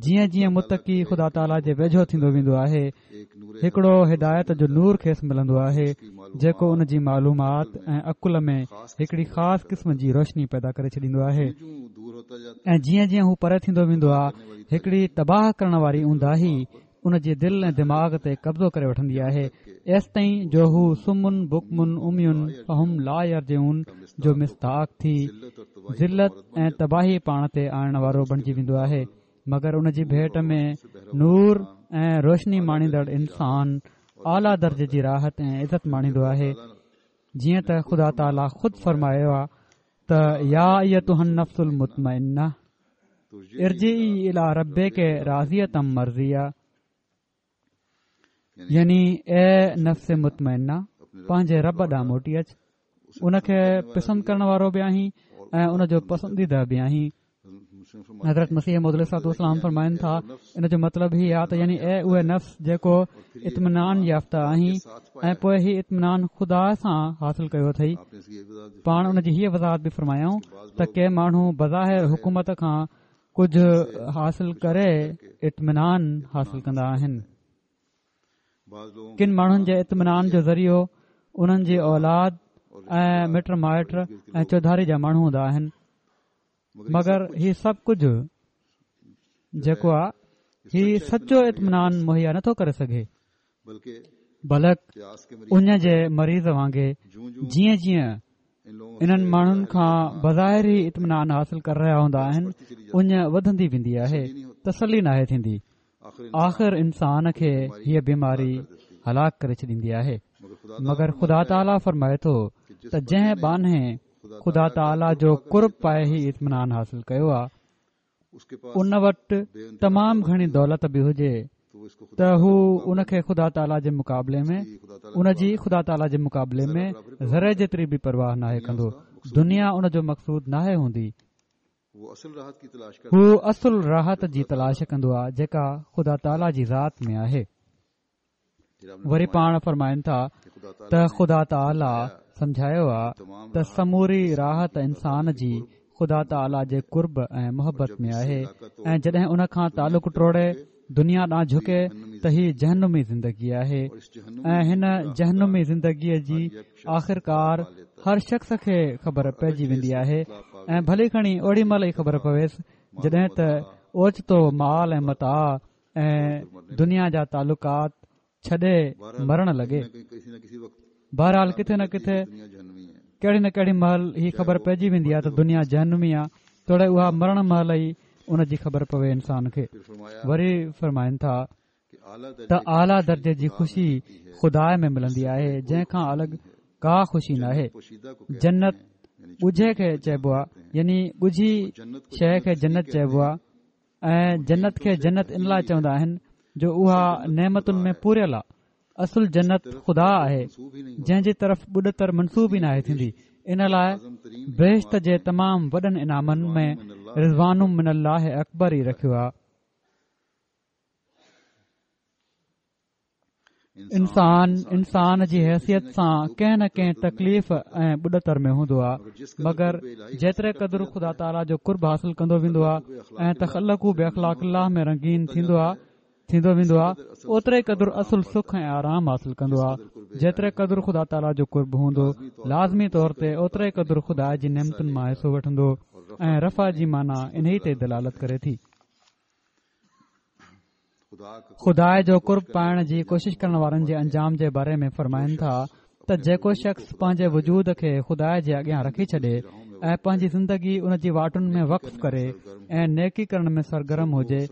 جيئن جيئن متقي خدا تعاليٰ جي ويجهو ٿيندو ويندو آهي هڪڙو هدايت جو نور کيس ملندو آهي جيڪو ان جي معلومات ۽ عقل ۾ هڪڙي خاص قسم جي روشني پيدا ڪري ڇڏيندو آهي ۽ جيئن جيئن هو پري ٿيندو ويندو آهي هڪڙي تباهه ڪرڻ واري اونداهي ان جي دل ۽ دماغ تي قبضو ڪري وٺندي آهي ايستائين جو هو صم بڪم عمي فهم لا يرجعون جو مصداق ٿي ذلت ۽ تباهي پاڻ تي آڻڻ وارو بڻجي ويندو آهي مگر ان جي ڀيٽ ۾ نور ۽ روشني ماڻيندڙ انسان اعليٰ درجي جي راحت ۽ عزت ماڻيندو آهي جيئن ته خدا تعاليٰ خود فرمايو آهي ته يا ايتها النفس المطمئنه ارجعي الي ربڪ راضية مرضيه يعني اي نفس مطمئنه پنهنجي رب ڏانهن موٽي اچ ان کي پسند ڪرڻ وارو به آهين ۽ ان جو پسنديده به آهين حضرت مسيح موعود عليه الصلوة والسلام فرمائن ٿا ان جو مطلب هي آ ته يعني اي اهي نفس جيڪو اطمينان يافته آهين ۽ پوء هي اطمينان خدا سان حاصل ڪيو اٿئي پاڻ ان جي هيء وضاحت به فرمايائون ته ڪي ماڻهو بظاهر حڪومت کان ڪجهه حاصل ڪري اطمينان حاصل ڪندا آهن. ڪن ماڻهن جي اطمينان جو ذريعو انهن جي اولاد ۽ مٽ مائٽ ۽ چوڌاري جا ماڻهو هوندا آهن مگر هي سڀ ڪجهه جيڪو آهي هي سچو اطمينان مهيا نٿو ڪري سگهي بلڪ اڃ جي مريض وانگي جيئن جيئن انهن ماڻهن کان بظاهر ئي اطمينان حاصل ڪري رهيا هوندا آهن اڃ وڌندي ويندي آهي تسلي ناهي ٿيندي آخر انسان کي هيء بيماري هلاڪ ڪري ڇڏيندي آهي مگر خدا تعاليٰ فرمائي ٿو ته جنهن ٻانهي خدا تعاليٰ جو قرب پائي هي اطمينان حاصل ڪيو آهي ان وٽ تمام گهڻي دولت به هجي ته هو ان کي خدا تعاليٰ جي مقابلي ۾ ان جي خدا تعاليٰ جي مقابلي ۾ ذري جيتري به پرواهه ناهي ڪندو دنيا ان جو مقصود ناهي هوندي هو اصل راحت جي تلاش ڪندو آهي جيڪا خدا تعاليٰ جي ذات ۾ آهي وري پاڻ فرمائن ٿا ته خدا تعاليٰ سمجهايو آ ته سموري راحت انسان جي خدا تعاليٰ جي قرب ۽ محبت ۾ آهي ۽ جڏهن ان کان تعلق ٽوڙي دنيا ڏانهن جهڪي ته هي جهنمي زندگي آهي ۽ هن جهنمي زندگيء جي آخرڪار هر شخص کي خبر پئجي ويندي آهي ۽ ڀلي کڻي اوڏي مهل ئي خبر پويس جڏهن ته اوچتو مال ۽ متاع ۽ دنيا جا تعلقات ڇڏي مرڻ لڳي. بهرحال ڪٿي نه ڪٿي ڪهڙي نه ڪهڙي مهل هي خبر پئجي ويندي آهي ته دنيا جهنمي آهي توڙي اها مرڻ مهل ئي ان جي خبر پوي انسان کي. وري فرمائن ٿا ته اعليٰ درجي جي خوشي خدا ۾ ملندي آهي جنهن کان الڳ ڪا خوشي ناهي. جنت ڳجهي کي چئبو آهي يعني ڳجهي شيء کي جنت چئبو آهي ۽ جنت کي جنت ان لاء چوندا آهن جو اها نعمتن ۾ پوريل آهي اصل جنت خدا آهي جنهن جي طرف ٻڏتر منسوب ئي ناهي ٿيندي ان لاء بهشت جي تمام وڏن انعامن ۾ رضوان من الله اڪبر ئي رکيو آهي. انسان انسان جي حيثيت سان ڪنهن نه ڪنهن تڪليف ۽ ٻڏتر ۾ هوندو آهي مگر جيتري قدر خدا تعاليٰ جو قرب حاصل ڪندو ويندو آهي ۽ تخلقوا باخلاق الله ۾ رنگين ٿيندو آهي ٿيندو ويندو آهي اوتري قدر اصل سک ۽ آرام حاصل ڪندو آهي جيتري قدر خدا تعاليٰ جو قرب هوندو لازمي طور تي اوتري قدر خدا جي نعمتن مان حصو وٺندو ۽ رفع جي معنيٰ انهي تي دلالت ڪري ٿي. خدا جو قرب پائڻ جي ڪوشش ڪرڻ وارن جي انجام جي باري ۾ فرمائن ٿا ته جيڪو شخص پنهنجي وجود کي خدا جي اڳيان رکي ڇڏي ۽ پنهنجي زندگي ان جي واٽن ۾ وقف ڪري ۽ نيڪي ڪرڻ ۾ سرگرم هجي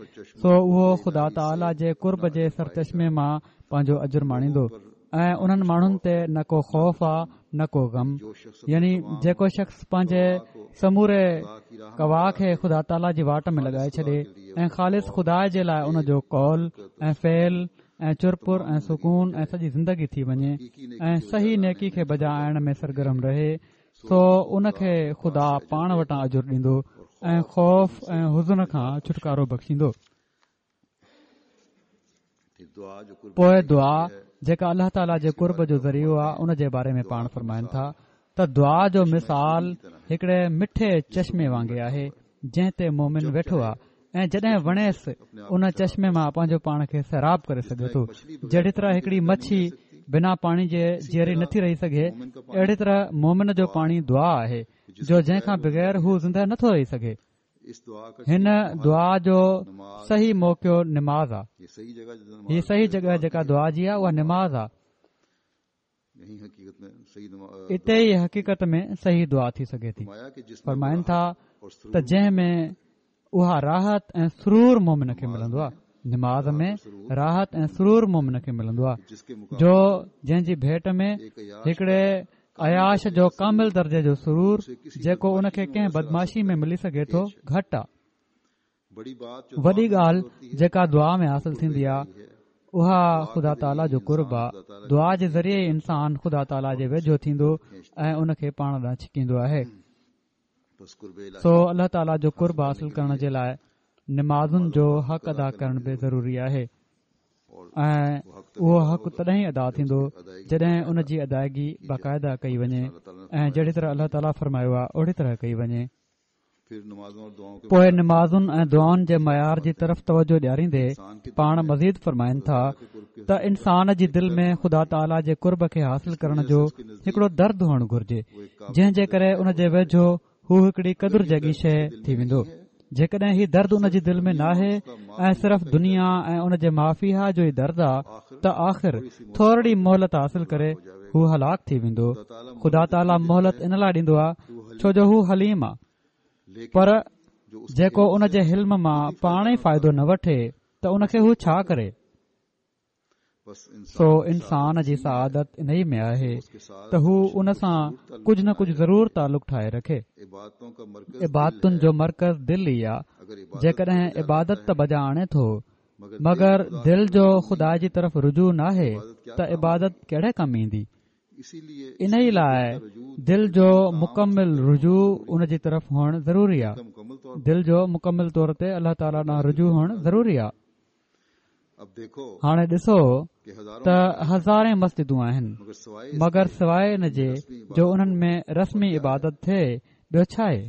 سو اهو خدا تعاليٰ جي قرب جي سرچشمي مان پنهنجو اجر ماڻيندو ۽ انهن ماڻهن تي نه ڪو خوف آ نه ڪو غم يعني جيڪو شخص پنهنجي سموري قوا کي خدا تعاليٰ جي واٽ ۾ لڳائي ڇڏي ۽ خالص خدا جي لاء ان جو قول ۽ فعل ۽ چرپر ۽ سڪون ۽ سڄي زندگي ٿي وڃي ۽ صحيح نيڪي کي بجا آڻڻ ۾ سرگرم رهي سو ان کي خدا پاڻ وٽان اجر ڏيندو ۽ خوف ۽ حزن کان ڇوٽڪارو بخشيندو. پوء دعا جيڪا الله تعاليٰ جي قرب جو ذريعو آهي ان جي باري ۾ پاڻ فرمائن ٿا ته دعا جو مثال هڪڙي مٺي چشمي وانگي آهي جنهن تي مومن ويٺو آهي ۽ جڏهن وڻيس ان چشمي مان پنهنجو پاڻ کي سيراب ڪري سگهي ٿو جهڙي طرح هڪڙي مڇي بنا پاڻي جي جيئري نٿي رهي سگهي اهڙي طرح مومن جو پاڻي دعا آهي جو جنهن کان بغير هو زنده نٿو رهي سگهي هن دعا جو صحيح موقعو نماز آ. هي صحيح جڳهه جيڪا دعا جي آ اها نماز آ. اتي ئي حقيقت ۾ صحيح دعا ٿي سگهي ٿي. فرمائن ٿا ته جنهن ۾ اها راحت ۽ سرور مومن کي ملندو آ. نماز ۾ راحت ۽ سرور مومن کي ملندو آ جو جنهن جي ڀيٽ ۾ هڪڙي عياش جو ڪامل درجي جو سرور جيڪو ان کي ڪنهن بدمعاشي ۾ ملي سگهي ٿو گهٽ آ. وڏي ڳالهه جيڪا دعا ۾ حاصل ٿيندي آ اها خدا تعاليٰ جو قرب آ. دعا جي ذريعي ئي انسان خدا تعاليٰ جي ويجهو ٿيندو ۽ ان کي پاڻ ڏانهن ڇڪيندو آهي. سو الله تعاليٰ جو قرب حاصل ڪرڻ جي لاء نمازن جو حق ادا ڪرڻ به ضروري آهي. ۽ اهو حق تڏهن ئي ادا ٿيندو جڏهن ان جي ادائگي باقاعده ڪئي وڃي ۽ جهڙي طرح الله تعاليٰ فرمايو آهي اهڙي طرح ڪئي وڃي. پوء نمازن ۽ دعائن جي معيار جي طرف توجه ڏياريندي پاڻ مزيد فرمائن ٿا ته انسان جي دل ۾ خدا تعاليٰ جي قرب کي حاصل ڪرڻ جو هڪڙو درد هئڻ گهرجي جنهن جي ڪري ان جي ويجهو هو هڪڙي قدر جهڙي شيء ٿي ويندو. جيڪڏهن هي درد ان جي دل ۾ ناهي ۽ صرف دنيا ۽ ان جي مافيها جو ئي درد آ ته آخر ٿورڙي مهلت حاصل ڪري هو هلاڪ ٿي ويندو. خدا تعاليٰ مهلت ان لاء ڏيندو آ ڇو جو هو حليم آ. پر جيڪو ان جي حلم مان پاڻ ئي فائدو نه وٺي ته ان کي هو ڇا ڪري؟ سو انسان جي سعادت انهي ۾ آهي ته هو ان سان ڪجهه نه ڪجهه ضرور تعلق ٺاهي رکي. عبادتن جو مرڪز دل ئي آ. جيڪڏهن عبادت ته بجا آڻي ٿو مگر دل جو خدا جي طرف رجوع ناهي ته عبادت ڪهڙي ڪم ايندي؟ انهي لاء دل جو مڪمل رجوع ان جي طرف هئڻ ضروري آ. دل جو مڪمل طور تي الله تعاليٰ ڏانهن رجوع هئڻ ضروري آ. هاڻي ڏسو ته هزارين مسجدون آهن مگر سواء ان جي جو انهن ۾ رسمي عبادت ٿئي ٻيو ڇا آهي؟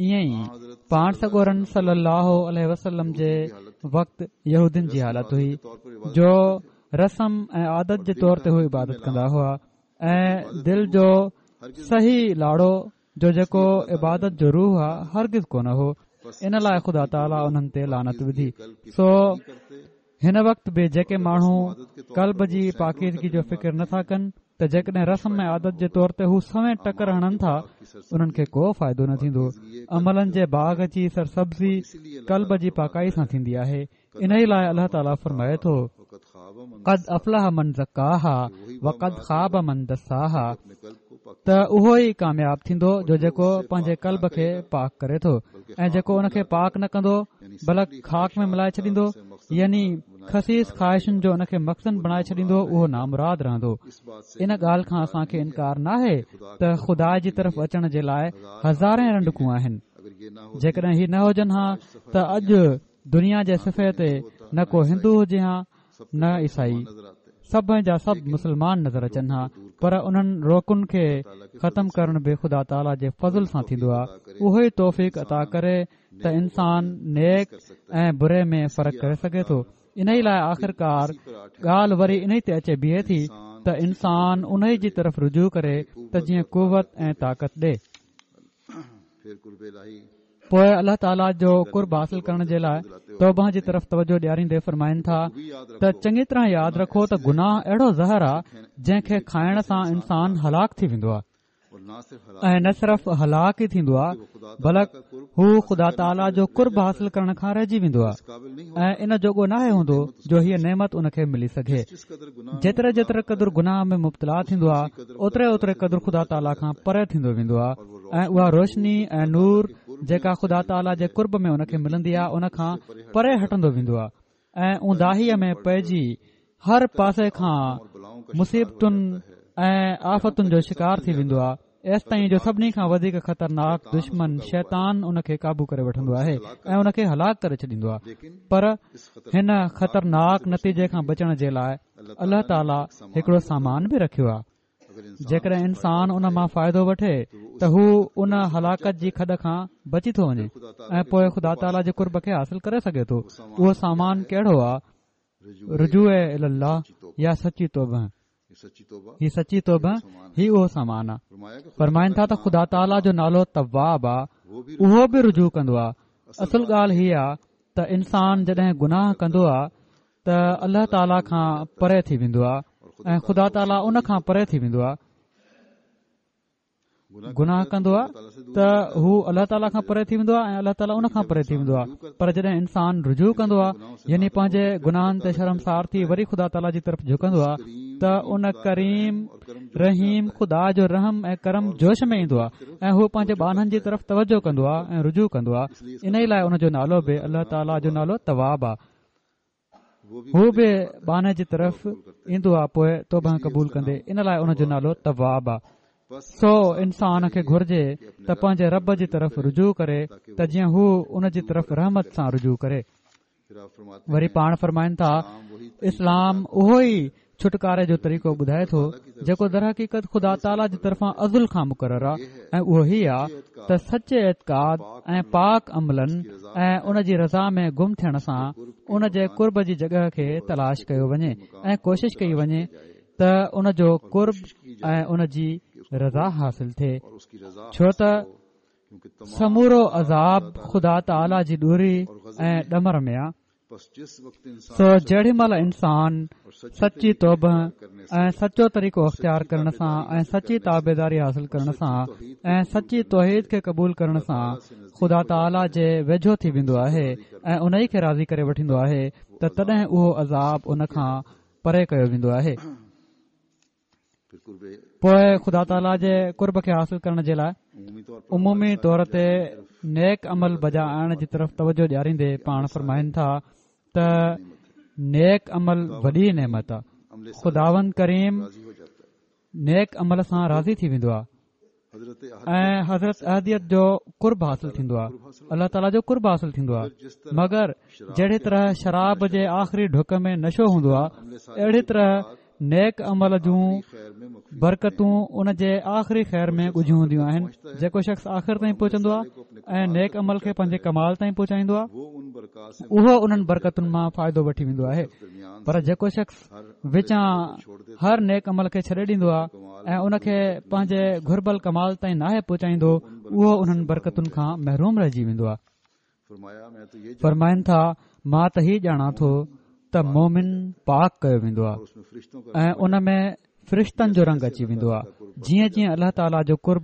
ائين ئي پاڻ سڳورن صلي الله عليه وسلم جي وقت يهودين جي حالت هئي جو رسم ۽ عادت جي طور تي هو عبادت ڪندا هئا ۽ دل جو صحيح لاڙو جو جيڪو عبادت جو روح آ هرگز ڪونه هو ان لاء خدا تعاليٰ انهن تي لعنت وڌي. سو هن وقت به جيڪي ماڻهو قلب جي پاڪيزگي جو فڪر نه ٿا ڪن ته جيڪڏهن رسم ۽ عادت جي طور تي هو سوين ٽڪر هڻن ٿا، انهن کي ڪو فائدو نه ٿيندو. عملن جي باغ جي سرسبزي قلب جي پاڪائي سان ٿيندي آهي. انهيء لاء الله تعاليٰ فرمائي ٿو، قد افلح من زڪاها وقد خاب من دساها ته اهو ئي ڪامياب ٿيندو جو جيڪو پنهنجي قلب کي پاڪ ڪري ٿو ۽ جيڪو ان کي پاڪ نه ڪندو بلڪ خاڪ ۾ ملائي ڇڏيندو يعني خسيس خواهشن جو ان کي مخزن بڻائي ڇڏيندو اهو نامراد رهندو. ان ڳالهه کان اسان کي انڪار ناهي ته خدا جي طرف اچڻ جي لاء هزارين رنڊڪون آهن. جيڪڏهن هي نه هجن ها ته اڄ دنيا جي صفحي تي نه ڪو هندو هجي ها نه عيسائي، سڀ جا سڀ مسلمان نظر اچن ها پر انهن روڪن کي ختم ڪرڻ به خدا تعاليٰ جي فضل سان ٿيندو آهي اهو ئي توفيق عطا ڪري ته انسان نيڪ ۽ بري ۾ فرق ڪري سگهي ٿو انهي لاء آخرڪار ڳالهه وري انهي تي اچي بيهي ٿي ته انسان انهي جي طرف رجوع ڪري ته جيئن قوت ۽ طاقت ڏي. پوء الله تعاليٰ جو قرب حاصل ڪرڻ جي لاء توبه جي طرف توجه ڏياريندي فرمائن ٿا ته چڱي طرح ياد رکو ته گناهه اهڙو زهر آ جنهن کي کائڻ سان انسان هلاڪ ٿي ويندو آ ۽ نه صرف هلاڪ ئي ٿيندو آ بلڪ هو خدا تعاليٰ جو قرب حاصل ڪرڻ کان رهجي ويندو آ ۽ ان جوڳو ناهي هوندو جو هيء نعمت ان کي ملي سگهي جيتري جيتري قدر گناهه ۾ مبتلا ٿيندو آ اوتري اوتري قدر خدا تعاليٰ کان پري ٿيندو ويندو آ ۽ اها روشني ۽ نور جيڪا خدا تعاليٰ جي قرب ۾ ان کي ملندي آهي ان کان پري هٽندو ويندو آهي ۽ اونداهيء ۾ پئجي هر پاسي کان مصيبتن ۽ آفتن جو شڪار ٿي ويندو آهي ايستائين جو سڀني کان وڌيڪ خطرناڪ دشمن شيطان ان کي قابو ڪري وٺندو آهي ۽ ان کي هلاڪ ڪري ڇڏيندو آهي پر هن خطرناڪ نتيجي کان بچڻ جي لاء الله تعاليٰ هڪڙو سامان به رکيو آهي جيڪڏهن انسان ان مان فائدو وٺي ته هو ان هلاڪت جي کڏ کان بچي ٿو وڃي ۽ پوء خدا تعاليٰ جي قرب کي حاصل ڪري سگهي ٿو. اهو سامان ڪهڙو آ؟ رجوع الي الله يا سچي توبه. هي سچي توبه هي اهو سامان آ. فرمائن ٿا ته خدا تعاليٰ جو نالو تواب آ، اهو به رجوع ڪندو آ. اصل ڳالهه هي آ ته انسان جڏهن گناهه ڪندو آ ته الله تعاليٰ کان پري ٿي ويندو آهي ۽ خدا تعاليٰ ان کان پري ٿي ويندو آهي گناهه ڪندو آهي ته هو الله تعاليٰ کان پري ٿي ويندو آهي ۽ الله تعاليٰ ان کان پري ٿي ويندو آهي پر جڏهن انسان رجوع ڪندو آهي يعني پنهنجي گناهن تي شرمسار ٿي وري خدا تعاليٰ جي طرف جهڪندو آهي ته ان ڪريم رحيم خدا جو رحم ۽ ڪرم جوش ۾ ايندو آهي ۽ هو پنهنجي ٻانهن جي طرف توجه ڪندو آهي ۽ رجوع ڪندو آهي ان لاء ان جو نالو به الله تعاليٰ جو نالو تواب آهي هو به ٻانهي جي طرف ايندو آ پوء توبه قبول ڪندي ان لاء ان جو نالو تواب آ سو انسان کي گهرجي ته پنهنجي رب جي طرف رجوع ڪري ته جيئن هو ان جي طرف رحمت سان رجوع ڪري وري پاڻ فرمائن ٿا اسلام اهو ئي ڇوٽڪاري جو طريقو ٻڌائي ٿو جيڪو درحقيقت خدا تعاليٰ جي طرفان ازل کان مقرر آ ۽ اهو هي آ ته سچي اعتقاد ۽ پاڪ عملن ۽ ان جي رضا ۾ گم ٿيڻ سان ان جي قرب جي جڳهه کي تلاش ڪيو وڃي ۽ ڪوشش ڪئي وڃي ته ان جو قرب ۽ ان جي رضا حاصل ٿئي ڇو ته سمورو عذاب خدا تعاليٰ جي دوري ۽ ڏمر ۾ آ سو جيڏي مهل انسان سچي توبه ۽ سچو طريقو اختيار ڪرڻ سان ۽ سچي تابعداري حاصل ڪرڻ سان ۽ سچي توحيد کي قبول ڪرڻ سان خدا تعاليٰ جي ويجهو ٿي ويندو آهي ۽ انهي کي راضي ڪري وٺندو آهي ته تڏهن اهو عذاب ان کان پري ڪيو ويندو آهي. پوء خدا تعاليٰ جي قرب کي حاصل ڪرڻ جي لاء عمومي طور تي نيڪ عمل بجا آڻڻ جي طرف توجه ڏياريندي پاڻ فرمائن ٿا ته نيڪ عمل وڏي نعمت آ خداوند ڪريم نيڪ عمل سان راضي ٿي ويندو آ ۽ حضرت احديت جو قرب حاصل ٿيندو آهي الله تعاليٰ جو قرب حاصل ٿيندو آهي مگر جهڙي طرح شراب جي آخري ڍڪ ۾ نشو هوندو آهي اهڙي طرح نيڪ عمل جون برڪتون ان جي آخري خير ۾ ڳجهيون هونديون آهن جيڪو شخص آخر تائين پهچندو آهي ۽ نيڪ عمل کي پنهنجي ڪمال تائين پهچائيندو آهي اهو انهن برڪتن مان فائدو وٺي ويندو آهي پر جيڪو شخص وچان هر نيڪ عمل کي ڇڏي ڏيندو آهي ۽ ان کي پنهنجي گهربل ڪمال تائين ناهي پهچائيندو اهو انهن برڪتن کان محروم رهجي ويندو آهي. فرمائن ٿا، مان ته هي ڄاڻان ٿو ته مومن پاڪ ڪيو ويندو آهي ۽ ان ۾ فرشتن جو رنگ اچي ويندو آهي. جيئن جيئن الله تعاليٰ جو قرب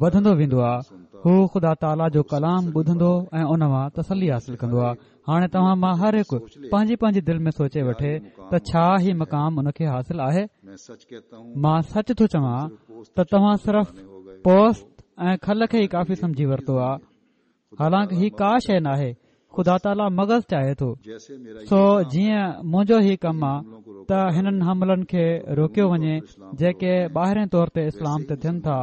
وڌندو ويندو آهي، هو خدا تعاليٰ جو ڪلام ٻڌندو ۽ ان مان تسلي حاصل ڪندو آهي. هاڻي توهان مان هر هڪ پنهنجي پنهنجي دل ۾ سوچي وٺي ته ڇا هي مقام ان کي حاصل آهي؟ مان سچ ٿو چوان ته توهان صرف پوست ۽ کل کي ئي ڪافي سمجهي ورتو آهي. حالانڪ هي ڪا شيء ناهي، خدا تعاليٰ مغز چاهي ٿو، سو جيئن منهنجو هي ڪم آ ته هنن حملن کي روڪيو وڃي جيڪي ٻاهرين طور تي اسلام تي ٿين ٿا،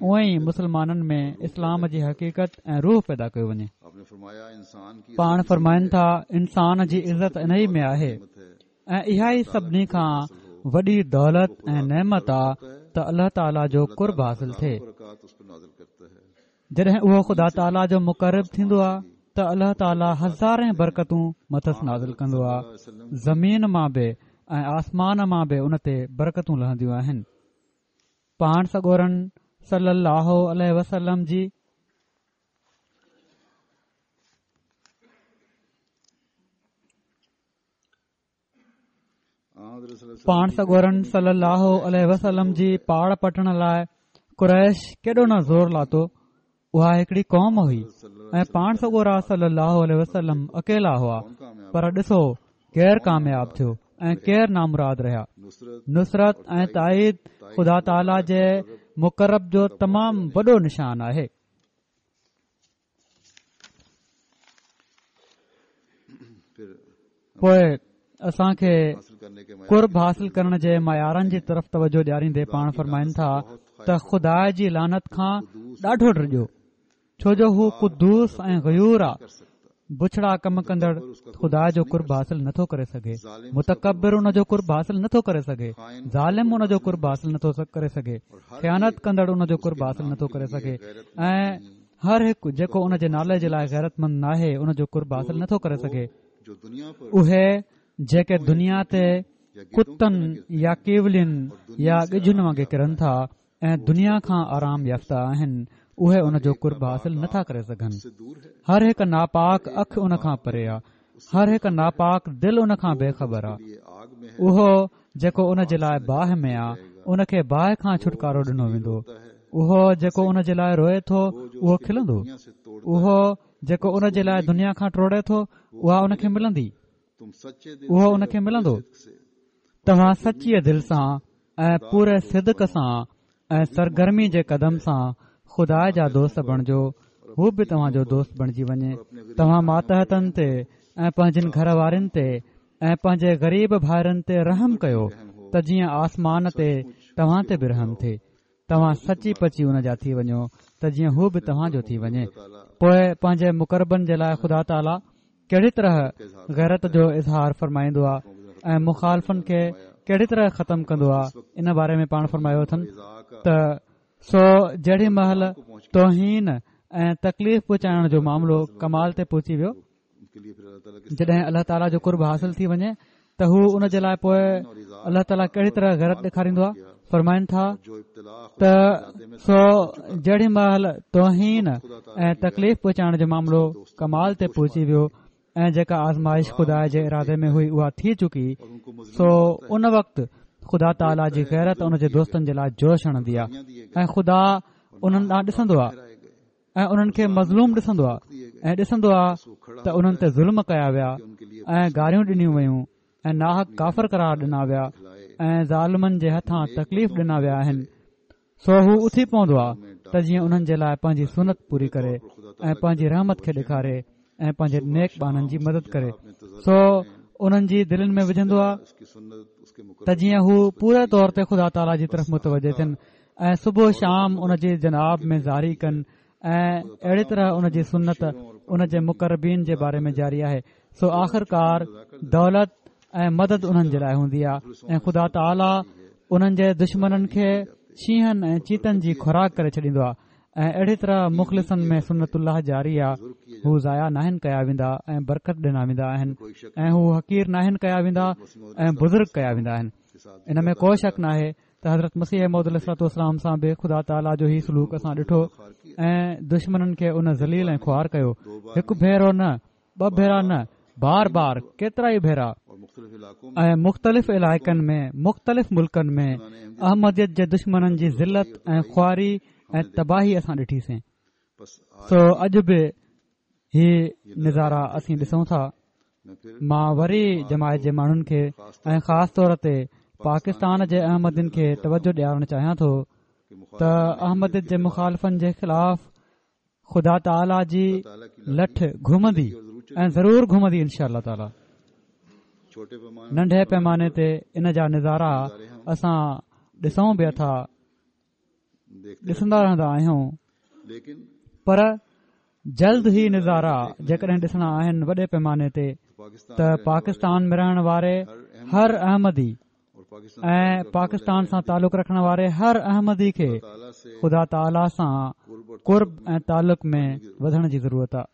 اونئن ئي مسلمانن ۾ اسلام جي حقيقت ۽ روح پيدا ڪيو وڃي. پاڻ فرمائن ٿا، انسان جي عزت انهي ۾ آهي ۽ اها ئي سڀني کان وڏي دولت ۽ نعمت آ ته الله تعاليٰ جو قرب حاصل ٿئي. جڏهن اهو خدا تعاليٰ جو مقرب ٿيندو آهي ته الله تعاليٰ هزارين برڪتون مٿس نازل ڪندو آهي زمين مان به ۽ آسمان مان به ان تي برڪتون لهنديون آهن پاڻ سڳورن صلي الله عليه وسلم جي پاڻ سڳورن صلي الله عليه وسلم جي پاڙ پٽڻ لاء قريش ڪيڏو نه زور لاتو اها هڪڙي قوم هئي ۽ پاڻ سڳورا صلي الله عليه وسلم اڪيلا هئا پر ڏسو ڪير ڪامياب ٿيو ۽ ڪير نامراد رهيا نصرت ۽ تائيد خدا تعاليٰ جي مقرب جو تمام وڏو نشان آهي پوء اسان کي قرب حاصل ڪرڻ جي معيارن جي طرف توجه ڏياريندي پاڻ فرمائن ٿا ته خدا جي لعنت کان ڏاڍو ڊڄو ڇو جو هو قدوس ۽ غيور آ بڇڙا ڪم ڪندڙ خدا جو قرب حاصل نٿو ڪري سگهي متڪبر ان جو قرب حاصل نٿو ڪري سگهي ظالم ان جو قرب حاصل نٿو ڪري سگهي خيانت ڪندڙ ان جو قرب حاصل نٿو ڪري سگهي ۽ هر هڪ جيڪو ان جي نالي جي لاء غيرتمند ناهي ان جو قرب حاصل نٿو ڪري سگهي. اهي جيڪي دنيا تي ڪتن يا ڪيولين يا ڳجهن وانگي ڪرن ٿا ۽ دنيا کان آرام يافته آهن اهي ان جو قرب حاصل نٿا ڪري سگهن. هر هڪ ناپاڪ اک ان کان پري آ. هر هڪ ناپاڪ دل ان کان بي خبر آ. اهو جيڪو ان جي لاء باهه ۾ آ، ان کي باهه کان ڇوٽڪارو ڏنو ويندو. اهو جيڪو ان جي لاء روئي ٿو، اهو کلندو. اهو جيڪو ان جي لاء دنيا کان ٽوڙي ٿو، اها ان کي ملندي. اهو ان کي ملندو. توهان سچيء دل سان ۽ پوري صدق سان ۽ سرگرمي جي قدم سان خدا جا دوست بڻجو هو به توهان جو دوست بڻجي وڃي توهان ماتحتن تي ۽ پنهنجن گهر وارين تي ۽ پنهنجي غريب ڀائرن تي رحم ڪيو ته جيئن آسمان تي توهان تي به رحم ٿئي توهان سچي پچي ان جا ٿي وڃو ته جيئن هو به توهان جو ٿي وڃي پوء پنهنجي مقربن جي لاء خدا تعاليٰ ڪهڙي طرح غيرت جو اظهار فرمائيندو آهي ۽ مخالفن کي ڪهڙي طرح ختم ڪندو آهي ان باري ۾ پاڻ فرمايو اٿن ته سو جهڙي مهل توهين ۽ تڪليف پهچائڻ جو معاملو ڪمال تي پهچي ويو جڏهن الله تعاليٰ جو قرب حاصل ٿي وڃي ته هو ان جي لاء پوء الله تعاليٰ ڪهڙي طرح غيرت ڏيکاريندو آهي فرمائن ٿا ته سو جهڙي مهل توهين ۽ تڪليف پهچائڻ جو معاملو ڪمال تي پهچي ويو ۽ جيڪا آزمائش خدا جي ارادي ۾ هئي اها ٿي چڪي سو ان وقت خدا تعاليٰ جي غيرت ان جي دوستن جي لاء جوش هڻندي آهي ۽ خدا انهن ڏانهن ڏسندو آهي ۽ انهن کي مظلوم ڏسندو آهي ۽ ڏسندو آهي ته انهن تي ظلم ڪيا ويا ۽ گاريون ڏنيون ويون ۽ ناحق ڪافر قرار ڏنا ويا ۽ ظالمن جي هٿان تڪليف ڏنا ويا آهن سو هو اٿي پوندو آهي ته جيئن انهن جي لاء پنهنجي سنت پوري ڪري ۽ پنهنجي رحمت کي ڏيکاري ۽ پنهنجي نيڪ ٻانهن جي مدد ڪري سو انهن جي دلين ۾ وجهندو آهي ته جيئن هو پوري طور تي خدا تعاليٰ جي طرف متوجه ٿين ۽ صبح شام ان جي جناب ۾ زاري ڪن ۽ اهڙي طرح ان جي سنت ان جي مقربين جي باري ۾ جاري آهي سو آخرڪار دولت ۽ مدد انهن جي لاء هوندي آهي ۽ خدا تعاليٰ انهن جي دشمنن کي شينهن ۽ چيتن جي خوراڪ ڪري ڇڏيندو آهي ۽ اهڙي طرح مخلصن ۾ سنت الله جاري آ، هو ضايع ناهن ڪيا ويندا ۽ برڪت ڏنا ويندا آهن ۽ هو حقير ناهن ڪيا ويندا ۽ بزرگ ڪيا ويندا آهن. ان ۾ ڪو شڪ ناهي ته حضرت مسيح موعود عليه الصلوة والسلام سان به خدا تعاليٰ جو هي سلوڪ اسان ڏٺو ۽ دشمنن کي ان ذليل ۽ خوار ڪيو. هڪ ڀيرو نه، ٻه ڀيرا نه، بار بار ڪيترائي ڀيرا ۽ مختلف علائقن ۾ مختلف ملڪن ۾ احمديت جي دشمنن جي ذلت ۽ خواري ۽ تباهي اسان ڏٺيسين سو اڄ به هي نظارا اسين ڏسون ٿا. مان وري جماعت جي ماڻهن کي ۽ خاص طور تي پاڪستان جي احمدين کي توجه ڏيارڻ چاهيان ٿو ته احمديت جي مخالفن جي خلاف خدا تعاليٰ جي لٺ گهمندي ۽ ضرور گهمندي انشاء الله تعاليٰ ننڍي پيماني تي ان جا نظارا اسان ڏسون به ٿا ڏسندا رهندا آهيون پر جلد هي نظارا جيڪڏهن ڏسڻا آهن وڏي پيماني تي ته پاڪستان ۾ رهڻ واري هر احمدي ۽ پاڪستان سان تعلق رکڻ واري هر احمدي کي خدا تعاليٰ سان قرب ۽ تعلق ۾ وڌڻ جي ضرورت آهي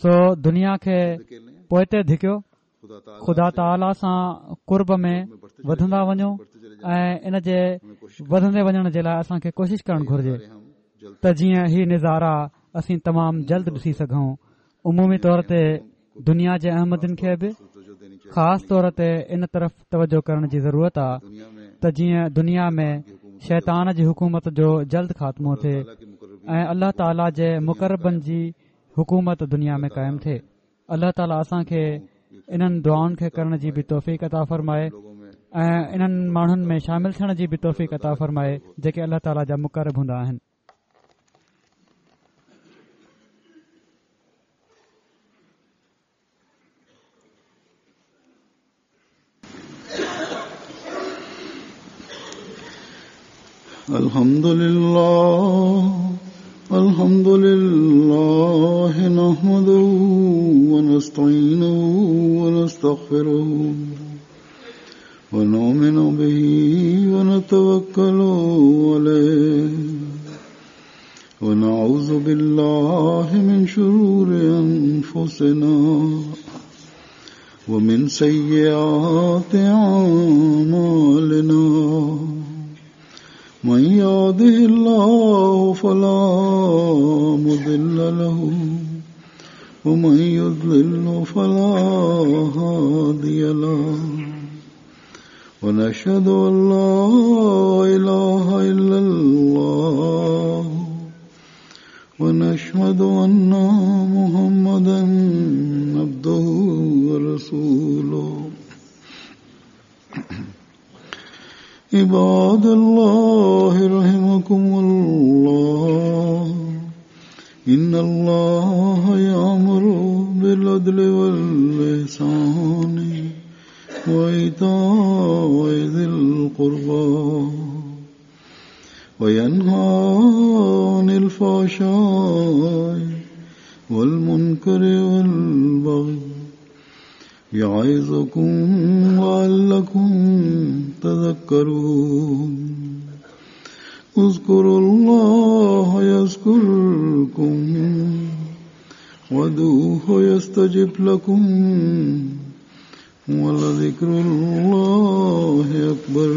سو دنيا کي پوئتي ڌڪيو، خدا تعاليٰ سان قرب ۾ وڌندا وڃو ۽ ان جي وڌندي وڃڻ جي لاء اسان کي ڪوشش ڪرڻ گهرجي ته جيئن هي نظارا اسين تمام جلد ڏسي سگهون عمومي طور تي دنيا جي احمدين کي به خاص طور تي ان طرف توجه ڪرڻ جي ضرورت آ ته جيئن دنيا ۾ شيطان جي حڪومت جو جلد خاتمو ٿئي ۽ الله تعاليٰ جي مقربن جي حڪومت دنيا ۾ قائم ٿئي الله تعاليٰ اسان کي انهن دعائن کي ڪرڻ جي به توفيق عطا فرمائي ۽ انهن ماڻهن ۾ شامل ٿيڻ جي به توفيق عطا فرمائي جيڪي الله تعاليٰ جا مقرب هوندا آهن الحمد لله الحمد لله نحمده ونستعينه ونستغفره ونؤمن به ونتوكل عليه ونعوذ بالله من شرور أنفسنا ومن سيئات أعمالنا من يهده الله فلا مضل له ومن يضلل فلا هادي له ونشهد أن لا إله إلا الله ونشهد أن محمدا عبده ورسوله عباد الله رحمكم الله إن الله يأمر بالعدل والإحسان وإيتاء ذي القربى وينهى عن الفحشاء والمنكر والبغي يعظكم لعلكم تذكرون اذكروا الله يذكركم وادعوه يستجب لكم ولذكر الله أكبر.